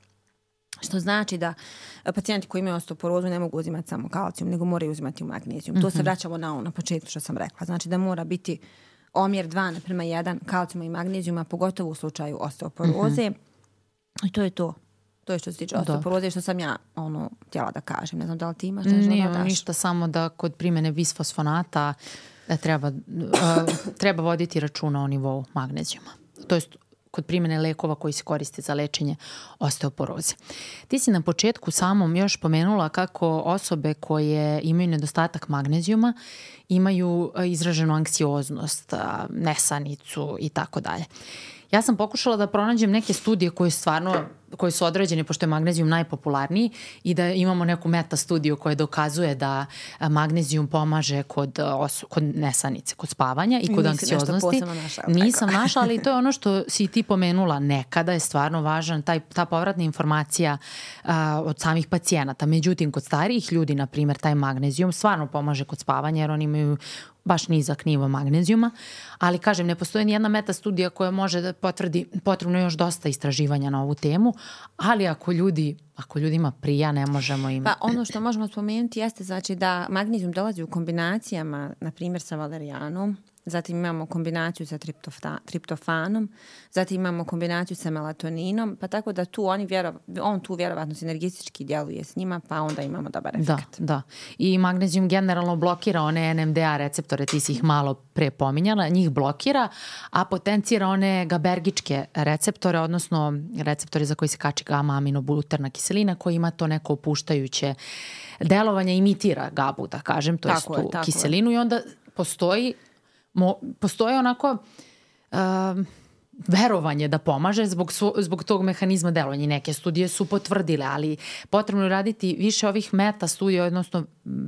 Što znači da pacijenti koji imaju osteoporozu ne mogu uzimati samo kalcijum, nego moraju uzimati magnezijum. Mm-hmm. To se vraćamo na ono na početku što sam rekla. Znači da mora biti omjer dva naprema jedan kalcijuma i magnezijuma, pogotovo u slučaju osteoporoze. Mm-hmm. I to je to. To je što se tiče osteoporoze, što sam ja ono htjela da kažem. Ne znam da li ti imaš nešto Nije, da daš? Ništa, samo da kod primjene bisfosfonata treba, uh, treba voditi računa o nivou magnezijuma. To je kod primjene lekova koji se koriste za lečenje osteoporoze. Ti si na početku samom još pomenula kako osobe koje imaju nedostatak magnezijuma imaju izraženu anksioznost, nesanicu i tako dalje. Ja sam pokušala da pronađem neke studije koje stvarno koje su određene, pošto je magnezijum najpopularniji, i da imamo neku meta studiju koja dokazuje da magnezijum pomaže kod, kod nesanice, kod spavanja i kod Nisi anksioznosti. Našla, Nisam našla, ali to je ono što si ti pomenula. Nekada je stvarno važan taj, ta povratna informacija a, od samih pacijenata. Međutim, kod starijih ljudi, na primjer, taj magnezijum stvarno pomaže kod spavanja, jer oni imaju baš nizak nivo magnezijuma, ali kažem, ne postoji ni jedna meta studija koja može da potvrdi, potrebno još dosta istraživanja na ovu temu, ali ako ljudi, ako ljudima prija, ne možemo im... Pa ono što možemo spomenuti jeste znači da magnezijum dolazi u kombinacijama, na primjer sa valerijanom, zatim imamo kombinaciju sa triptofa, triptofanom, zatim imamo kombinaciju sa melatoninom, pa tako da tu oni vjerov, on tu vjerovatno sinergistički djeluje s njima, pa onda imamo dobar efekt. Da, da. I magnezijum generalno blokira one N M D A receptore, ti si ih malo pre pominjala, njih blokira, a potencira one gabergičke receptore, odnosno receptore za koji se kači gama aminobuterna kiselina, koji ima to neko opuštajuće delovanje, imitira gabu, da kažem, to je tu kiselinu je. I onda postoji, mo, postoji onako uh, verovanje da pomaže zbog, su, zbog tog mehanizma delovanja. I neke studije su potvrdile, ali potrebno je raditi više ovih meta studija, odnosno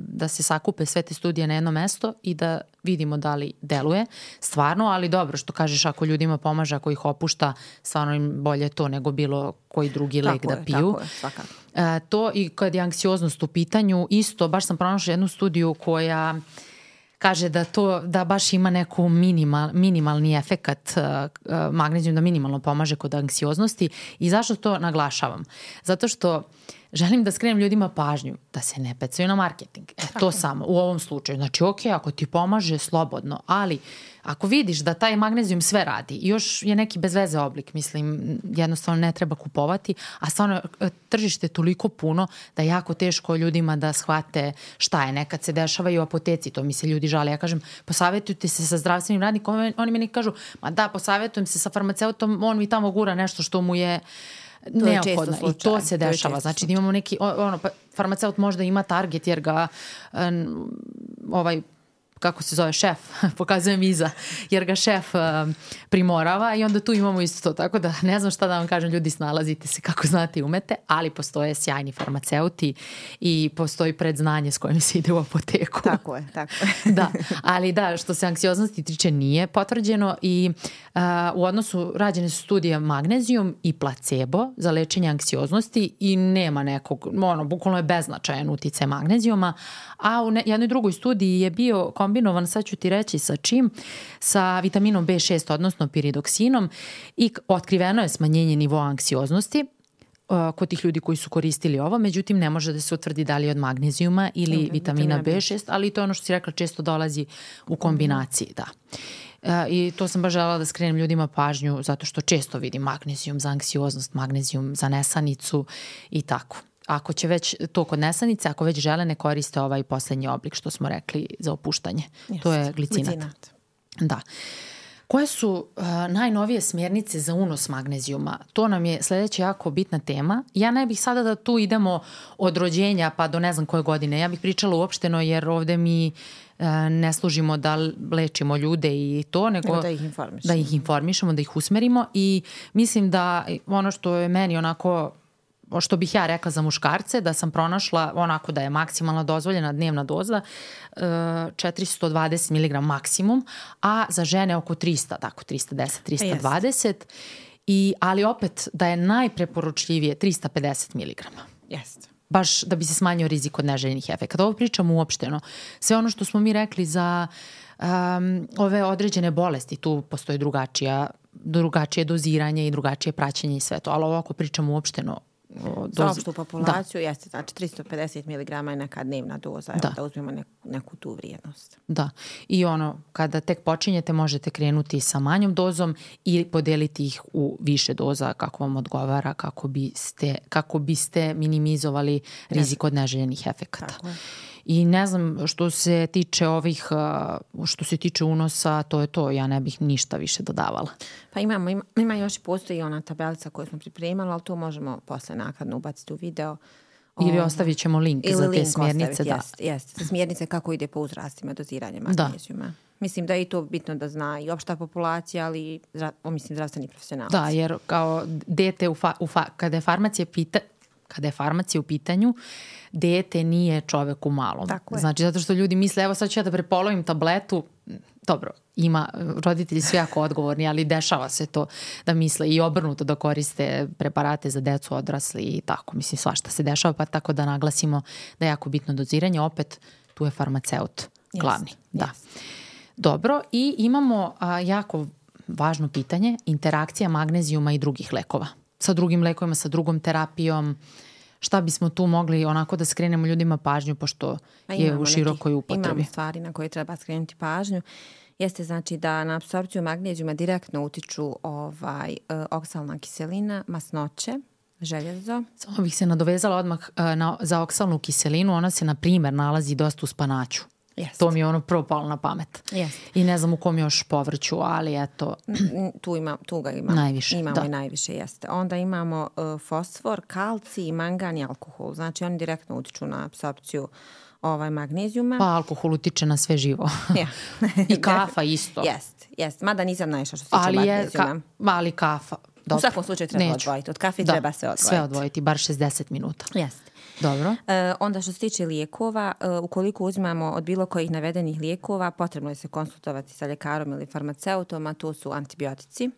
da se sakupe sve te studije na jedno mesto i da vidimo da li deluje stvarno, ali dobro što kažeš, ako ljudima pomaže, ako ih opušta, stvarno im bolje to nego bilo koji drugi lek da piju. Tako je, svakako. E, to i kad je anksioznost u pitanju, isto, baš sam pronašla jednu studiju koja kaže da to, da baš ima neku minimal, minimalni efekat uh, uh, magnezijum, da minimalno pomaže kod anksioznosti. I zašto to naglašavam? Zato što želim da skrenem ljudima pažnju da se ne pecaju na marketing. E, to samo u ovom slučaju. Znači, ok, ako ti pomaže, slobodno, ali ako vidiš da taj magnezijum sve radi i još je neki bez veze oblik, mislim, jednostavno ne treba kupovati, a stvarno tržište je toliko puno da je jako teško ljudima da shvate šta je. Nekad se dešava i u apoteci, to mi se ljudi žale. Ja kažem, posavjetujte se sa zdravstvenim radnikom, oni meni kažu, ma da, posavjetujem se sa farmaceutom, on mi tamo gura nešto što mu je neophodno. I to se dešava. To znači da imamo neki, ono, pa, farmaceut možda ima target jer ga um, ovaj kako se zove, šef, pokazujem iza, jer ga šef uh, primorava i onda tu imamo isto to. Tako da ne znam šta da vam kažem, ljudi, snalazite se kako znate i umete, ali postoje sjajni farmaceuti i postoji predznanje s kojim se ide u apoteku. Tako je, tako je. Da, ali da, što se anksioznosti tiče nije potvrđeno i uh, u odnosu rađene su studije magnezijum i placebo za lečenje anksioznosti i nema nekog, ono, bukvalno je beznačajan uticaj magnezijuma, a u ne, jednoj drugoj studiji je bio kombinovan, sad ću ti reći sa čim, sa vitaminom B šest, odnosno piridoksinom, i otkriveno je smanjenje nivoa anksioznosti uh, kod tih ljudi koji su koristili ovo, međutim ne može da se utvrdi da li je od magnezijuma ili okay, vitamina B šest, ali to je ono što si rekla, često dolazi u kombinaciji, da. Uh, I to sam baš želela da skrenem ljudima pažnju zato što često vidim magnezijum za anksioznost, magnezijum za nesanicu i tako. Ako će već to kod nesanice, ako već žele, ne koriste ovaj poslednji oblik što smo rekli za opuštanje. Just, to je glicinat. glicinat. Da. Koje su uh, najnovije smjernice za unos magnezijuma? To nam je sledeća jako bitna tema. Ja ne bih sada da tu idemo od rođenja pa do ne znam koje godine. Ja bih pričala uopšteno jer ovde mi uh, ne služimo da lečimo ljude i to, nego, nego da ih informišemo. Da ih informišemo, da ih usmerimo i mislim da ono što je meni onako što bih ja rekla za muškarce, da sam pronašla onako da je maksimalno dozvoljena dnevna doza četiristo dvadeset miligrama maksimum, a za žene oko trista, tako trista deset, trista dvadeset, i, ali opet da je najpreporučljivije trista pedeset miligrama. Jeste. Baš da bi se smanjio rizik od neželjenih efekata. Ovo pričamo uopšteno. Sve ono što smo mi rekli za um, ove određene bolesti, tu postoji drugačija, drugačije doziranje i drugačije praćenje i sve to, ali ovo ako pričamo uopšteno za opštu populaciju, da. Jeste, znači tristo pedeset miligrama je neka dnevna doza, da, da uzmemo neku, neku tu vrijednost. Da, i ono, kada tek počinjete, možete krenuti sa manjom dozom i podeliti ih u više doza kako vam odgovara, kako biste, kako biste minimizovali rizik od neželjenih efekata. Tako je. I ne znam, što se tiče ovih, što se tiče unosa, to je to, ja ne bih ništa više dodavala. Pa imamo, ima, ima još i postoji ona tabelica koju smo pripremali, ali tu možemo posle nakladno ubaciti u video. Ili ostavit ćemo link Ili za te link smjernice. Ostaviti, da. Jest, jest. Za smjernice kako ide po uzrastima doziranje magnezijuma. Da. Mislim da je i to bitno da zna i opšta populacija, ali o, mislim zdravstveni profesionalci. Da, jer kao dete, u fa, u fa, kada je farmacija pita, kada je farmacija u pitanju, dete nije čovek u malom. Znači, zato što ljudi misle, evo sad ću ja da prepolovim tabletu. Dobro, ima, roditelji su jako odgovorni, ali dešava se to da misle i obrnuto da koriste preparate za decu, odrasli i tako. Mislim, svašta se dešava, pa tako da naglasimo da je jako bitno doziranje. Opet, tu je farmaceut glavni. Jest, da. Jest. Dobro, i imamo a, jako važno pitanje, interakcija magnezijuma i drugih lekova. Sa drugim lekovima, sa drugom terapijom, šta bismo tu mogli onako da skrenemo ljudima pažnju, pošto je u širokoj upotrebi. Imamo stvari na koje treba skrenuti pažnju. jeste znači da na apsorpciju magnezijuma direktno utiču ovaj, oksalna kiselina, masnoće, željezo. Samo bih se nadovezala odmah na, za oksalnu kiselinu, ona se na primjer nalazi dosta u spanaću. Jest. To mi je ono prvo palo na pamet. Jest. I ne znam u kom još povrću, ali eto... tu, ima, tu ga ima. Najviše, imamo da. i najviše, jeste. Onda imamo uh, fosfor, kalcij, mangan i alkohol. Znači oni direktno utiču na apsorpciju ovaj, magnezijuma. Pa alkohol utiče na sve živo. Ja. I kafa isto. Jest, jest. Mada nisam naišla što se tiče ali magnezijuma. Je, ka, ali kafa. Dobro. U svakom slučaju treba Neću. odvojiti. Od kafe da, treba se odvojiti. sve odvojiti, bar šezdeset minuta. Jeste. Dobro. E, onda što se tiče lijekova, e, ukoliko uzimamo od bilo kojih navedenih lijekova, potrebno je se konsultovati sa ljekarom ili farmaceutom, a to su antibiotici.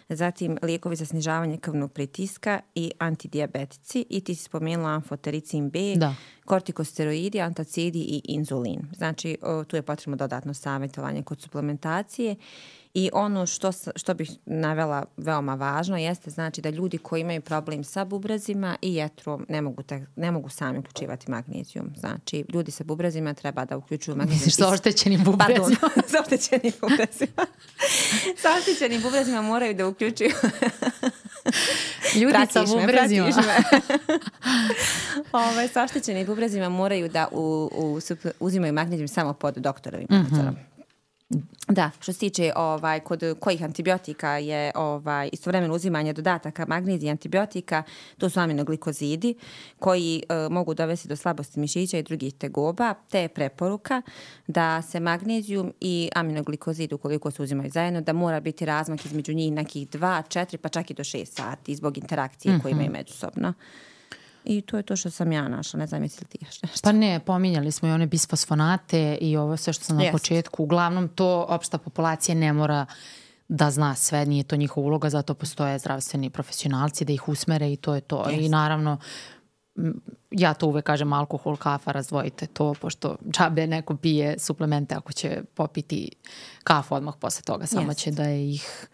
Zatim lijekovi za snižavanje krvnog pritiska i antidijabetici. I ti si spomenula amfotericin B, da. kortikosteroidi, antacidi i inzulin. Znači, o, tu je potrebno dodatno savjetovanje kod suplementacije. I ono što, što bih navela veoma važno jeste znači da ljudi koji imaju problem sa bubrezima i jetrom ne mogu, te, ne mogu sami uključivati magnezijum. Znači, ljudi sa bubrezima treba da uključuju magnezijum. Misliš sa oštećenim bubrezima? Pardon, sa oštećenim bubrezima. sa oštećenim bubrezima moraju da uključuju... Ljudi pratiš sa bubrezima. Ove, sa oštećenim bubrezima moraju da u, u, uzimaju magnezijum samo pod doktorovim nadzorom. Mm-hmm. Da, što se tiče ovaj, kod kojih antibiotika je ovaj, istovremeno uzimanje dodataka magnezija i antibiotika, to su aminoglikozidi koji e, mogu dovesti do slabosti mišića i drugih tegoba, te je preporuka da se magnezijum i aminoglikozid ukoliko se uzimaju zajedno, da mora biti razmak između njih nekih dva, četiri pa čak i do šest sati zbog interakcije mm-hmm. koje imaju međusobno. I to je to što sam ja našla, ne znam jesi li ti još nešto. Pa ne, pominjali smo i one bisfosfonate i ovo sve što sam na yes. početku. Uglavnom to opšta populacija ne mora da zna sve, nije to njihova uloga, zato postoje zdravstveni profesionalci da ih usmere i to je to. Yes. I naravno, ja to uvek kažem, alkohol, kafa, razdvojite to, pošto džabe neko pije suplemente ako će popiti kafu odmah posle toga, samo yes. će da je ih...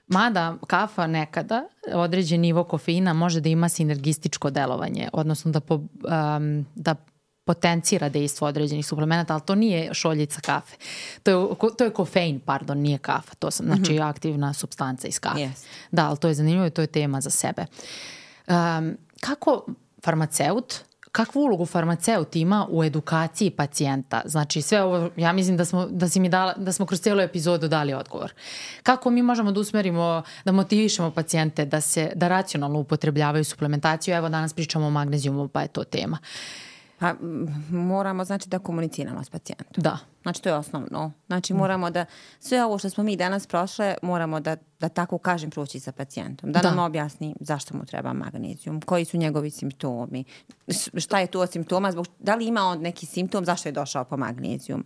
Mada kafa nekada, određen nivo kofeina može da ima sinergističko delovanje, odnosno da, po, um, da potencira dejstvo određenih suplemenata, ali to nije šoljica kafe. To je, to je kofein, pardon, nije kafa. To sam, znači mm-hmm. aktivna supstanca iz kafe. Yes. Da, ali to je zanimljivo i to je tema za sebe. Um, kako farmaceut... Kakvu ulogu farmaceut ima u edukaciji pacijenta? Znači sve ovo, ja mislim da smo, da si mi dala, da smo kroz cijelu epizodu dali odgovor. Kako mi možemo da usmerimo, da motivišemo pacijente da se, da racionalno upotrebljavaju suplementaciju? Evo danas pričamo o magnezijumu, pa je to tema. Pa moramo znači da komuniciramo s pacijentom. Da. Znači to je osnovno. Znači moramo da, sve ovo što smo mi danas prošle, moramo da, da tako kažem proći sa pacijentom. Da, da nam objasni zašto mu treba magnezijum, koji su njegovi simptomi, šta je tu od simptoma, zbog, da li ima on neki simptom, zašto je došao po magnezijum.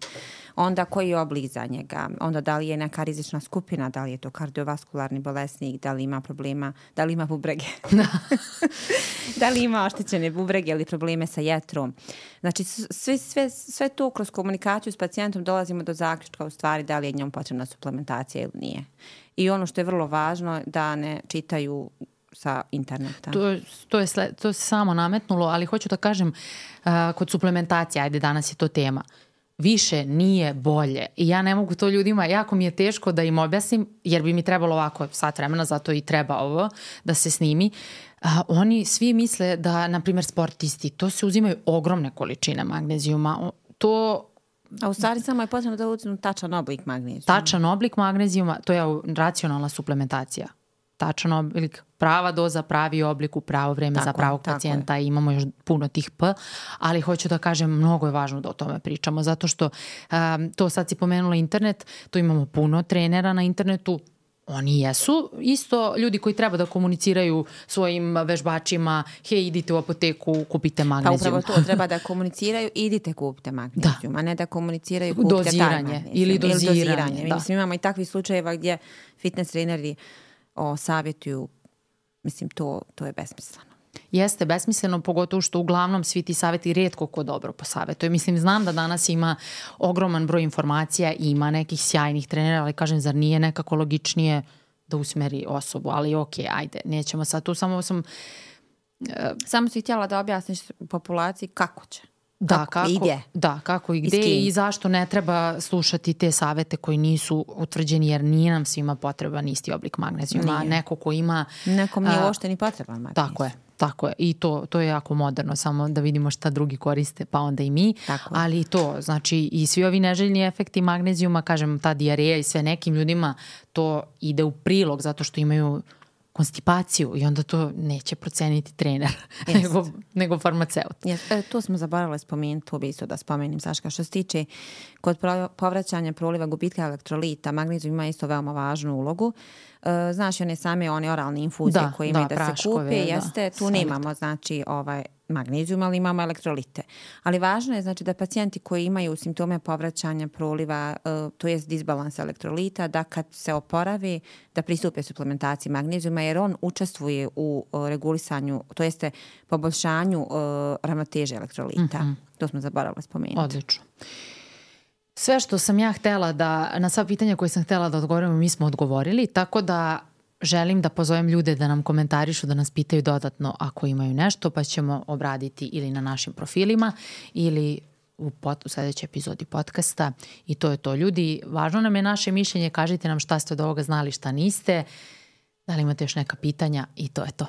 Onda koji je oblik za njega, onda da li je neka rizična skupina, da li je to kardiovaskularni bolesnik, da li ima problema, da li ima bubrege, da. da li ima oštećene bubrege ili probleme sa jetrom. Znači sve, sve, sve to kroz komunikaciju s pacijentom dolazimo do zaključka u stvari da li je njom potrebna suplementacija ili nije. I ono što je vrlo važno da ne čitaju sa interneta. To, to, je, sled, to se samo nametnulo, ali hoću da kažem uh, kod suplementacije, ajde danas je to tema, više nije bolje. I ja ne mogu to ljudima, jako mi je teško da im objasnim, jer bi mi trebalo ovako sat vremena, zato i treba ovo da se snimi. Uh, oni svi misle da, na primjer, sportisti, to se uzimaju ogromne količine magnezijuma. To... A u stvari samo je potrebno da uzmu tačan oblik magnezijuma. Tačan oblik magnezijuma, to je racionalna suplementacija. Tačan oblik, prava doza, pravi oblik u pravo vreme tako, za pravog pacijenta je. I imamo još puno tih P, ali hoću da kažem, mnogo je važno da o tome pričamo, zato što um, to sad si pomenula internet, tu imamo puno trenera na internetu, oni jesu isto ljudi koji treba da komuniciraju svojim vežbačima, hej, idite u apoteku, kupite magnezijum. Pa upravo to, treba da komuniciraju, idite kupite magnezijum, da. A ne da komuniciraju, kupite doziranje, taj magnezijum. Ili doziranje. Ili doziranje. Da. Mislim, imamo i takvih slučajeva gdje fitness treneri o, savjetuju, mislim, to, to je besmisleno. Jeste besmisleno, pogotovo što uglavnom svi ti savjeti rijetko ko dobro posavjetuje. Mislim, znam da danas ima ogroman broj informacija i ima nekih sjajnih trenera, ali kažem, zar nije nekako logičnije da usmeri osobu? Ali ok, ajde, nećemo sad tu, samo sam... Uh, samo si htjela da objasniš populaciji kako će. Da, kako, kako, i gde. Da, kako i gde i, i zašto ne treba slušati te savete koji nisu utvrđeni, jer nije nam svima potreban isti oblik magnezijuma. Nije. Neko ko ima... Nekom nije uopšte ni potreban magnezijum. Tako je. Tako je. I to, to je jako moderno, samo da vidimo šta drugi koriste, pa onda i mi. Tako Ali to, znači i svi ovi neželjni efekti magnezijuma, kažem, ta dijareja i sve nekim ljudima, to ide u prilog zato što imaju konstipaciju i onda to neće proceniti trener, nego, nego farmaceut. Yes. E, tu smo zaboravili spomenuti, to bi isto da spomenim, Saška, što se tiče kod povraćanja proliva gubitka elektrolita, magnezijum ima isto veoma važnu ulogu. E, znaš, one same one oralne infuzije da, koje imaju da, da praškove, se kupe, jeste, da, tu nemamo, znači, ovaj, magnezijum, ali imamo elektrolite. Ali važno je, znači, da pacijenti koji imaju simptome povraćanja proliva, uh, to jest disbalans elektrolita, da kad se oporavi, da pristupe suplementaciji magnezijuma, jer on učestvuje u uh, regulisanju, to jeste poboljšanju uh, ravnoteže elektrolita. Mm-hmm. To smo zaboravili spomenuti. Odlično. Sve što sam ja htela da, na sva pitanja koje sam htela da odgovorimo, mi smo odgovorili, tako da želim da pozovem ljude da nam komentarišu, da nas pitaju dodatno ako imaju nešto, pa ćemo obraditi ili na našim profilima ili u, pot, u sljedećoj epizodi podcasta. I to je to. Ljudi, važno nam je naše mišljenje, kažite nam šta ste od ovoga znali, šta niste, da li imate još neka pitanja i to je to.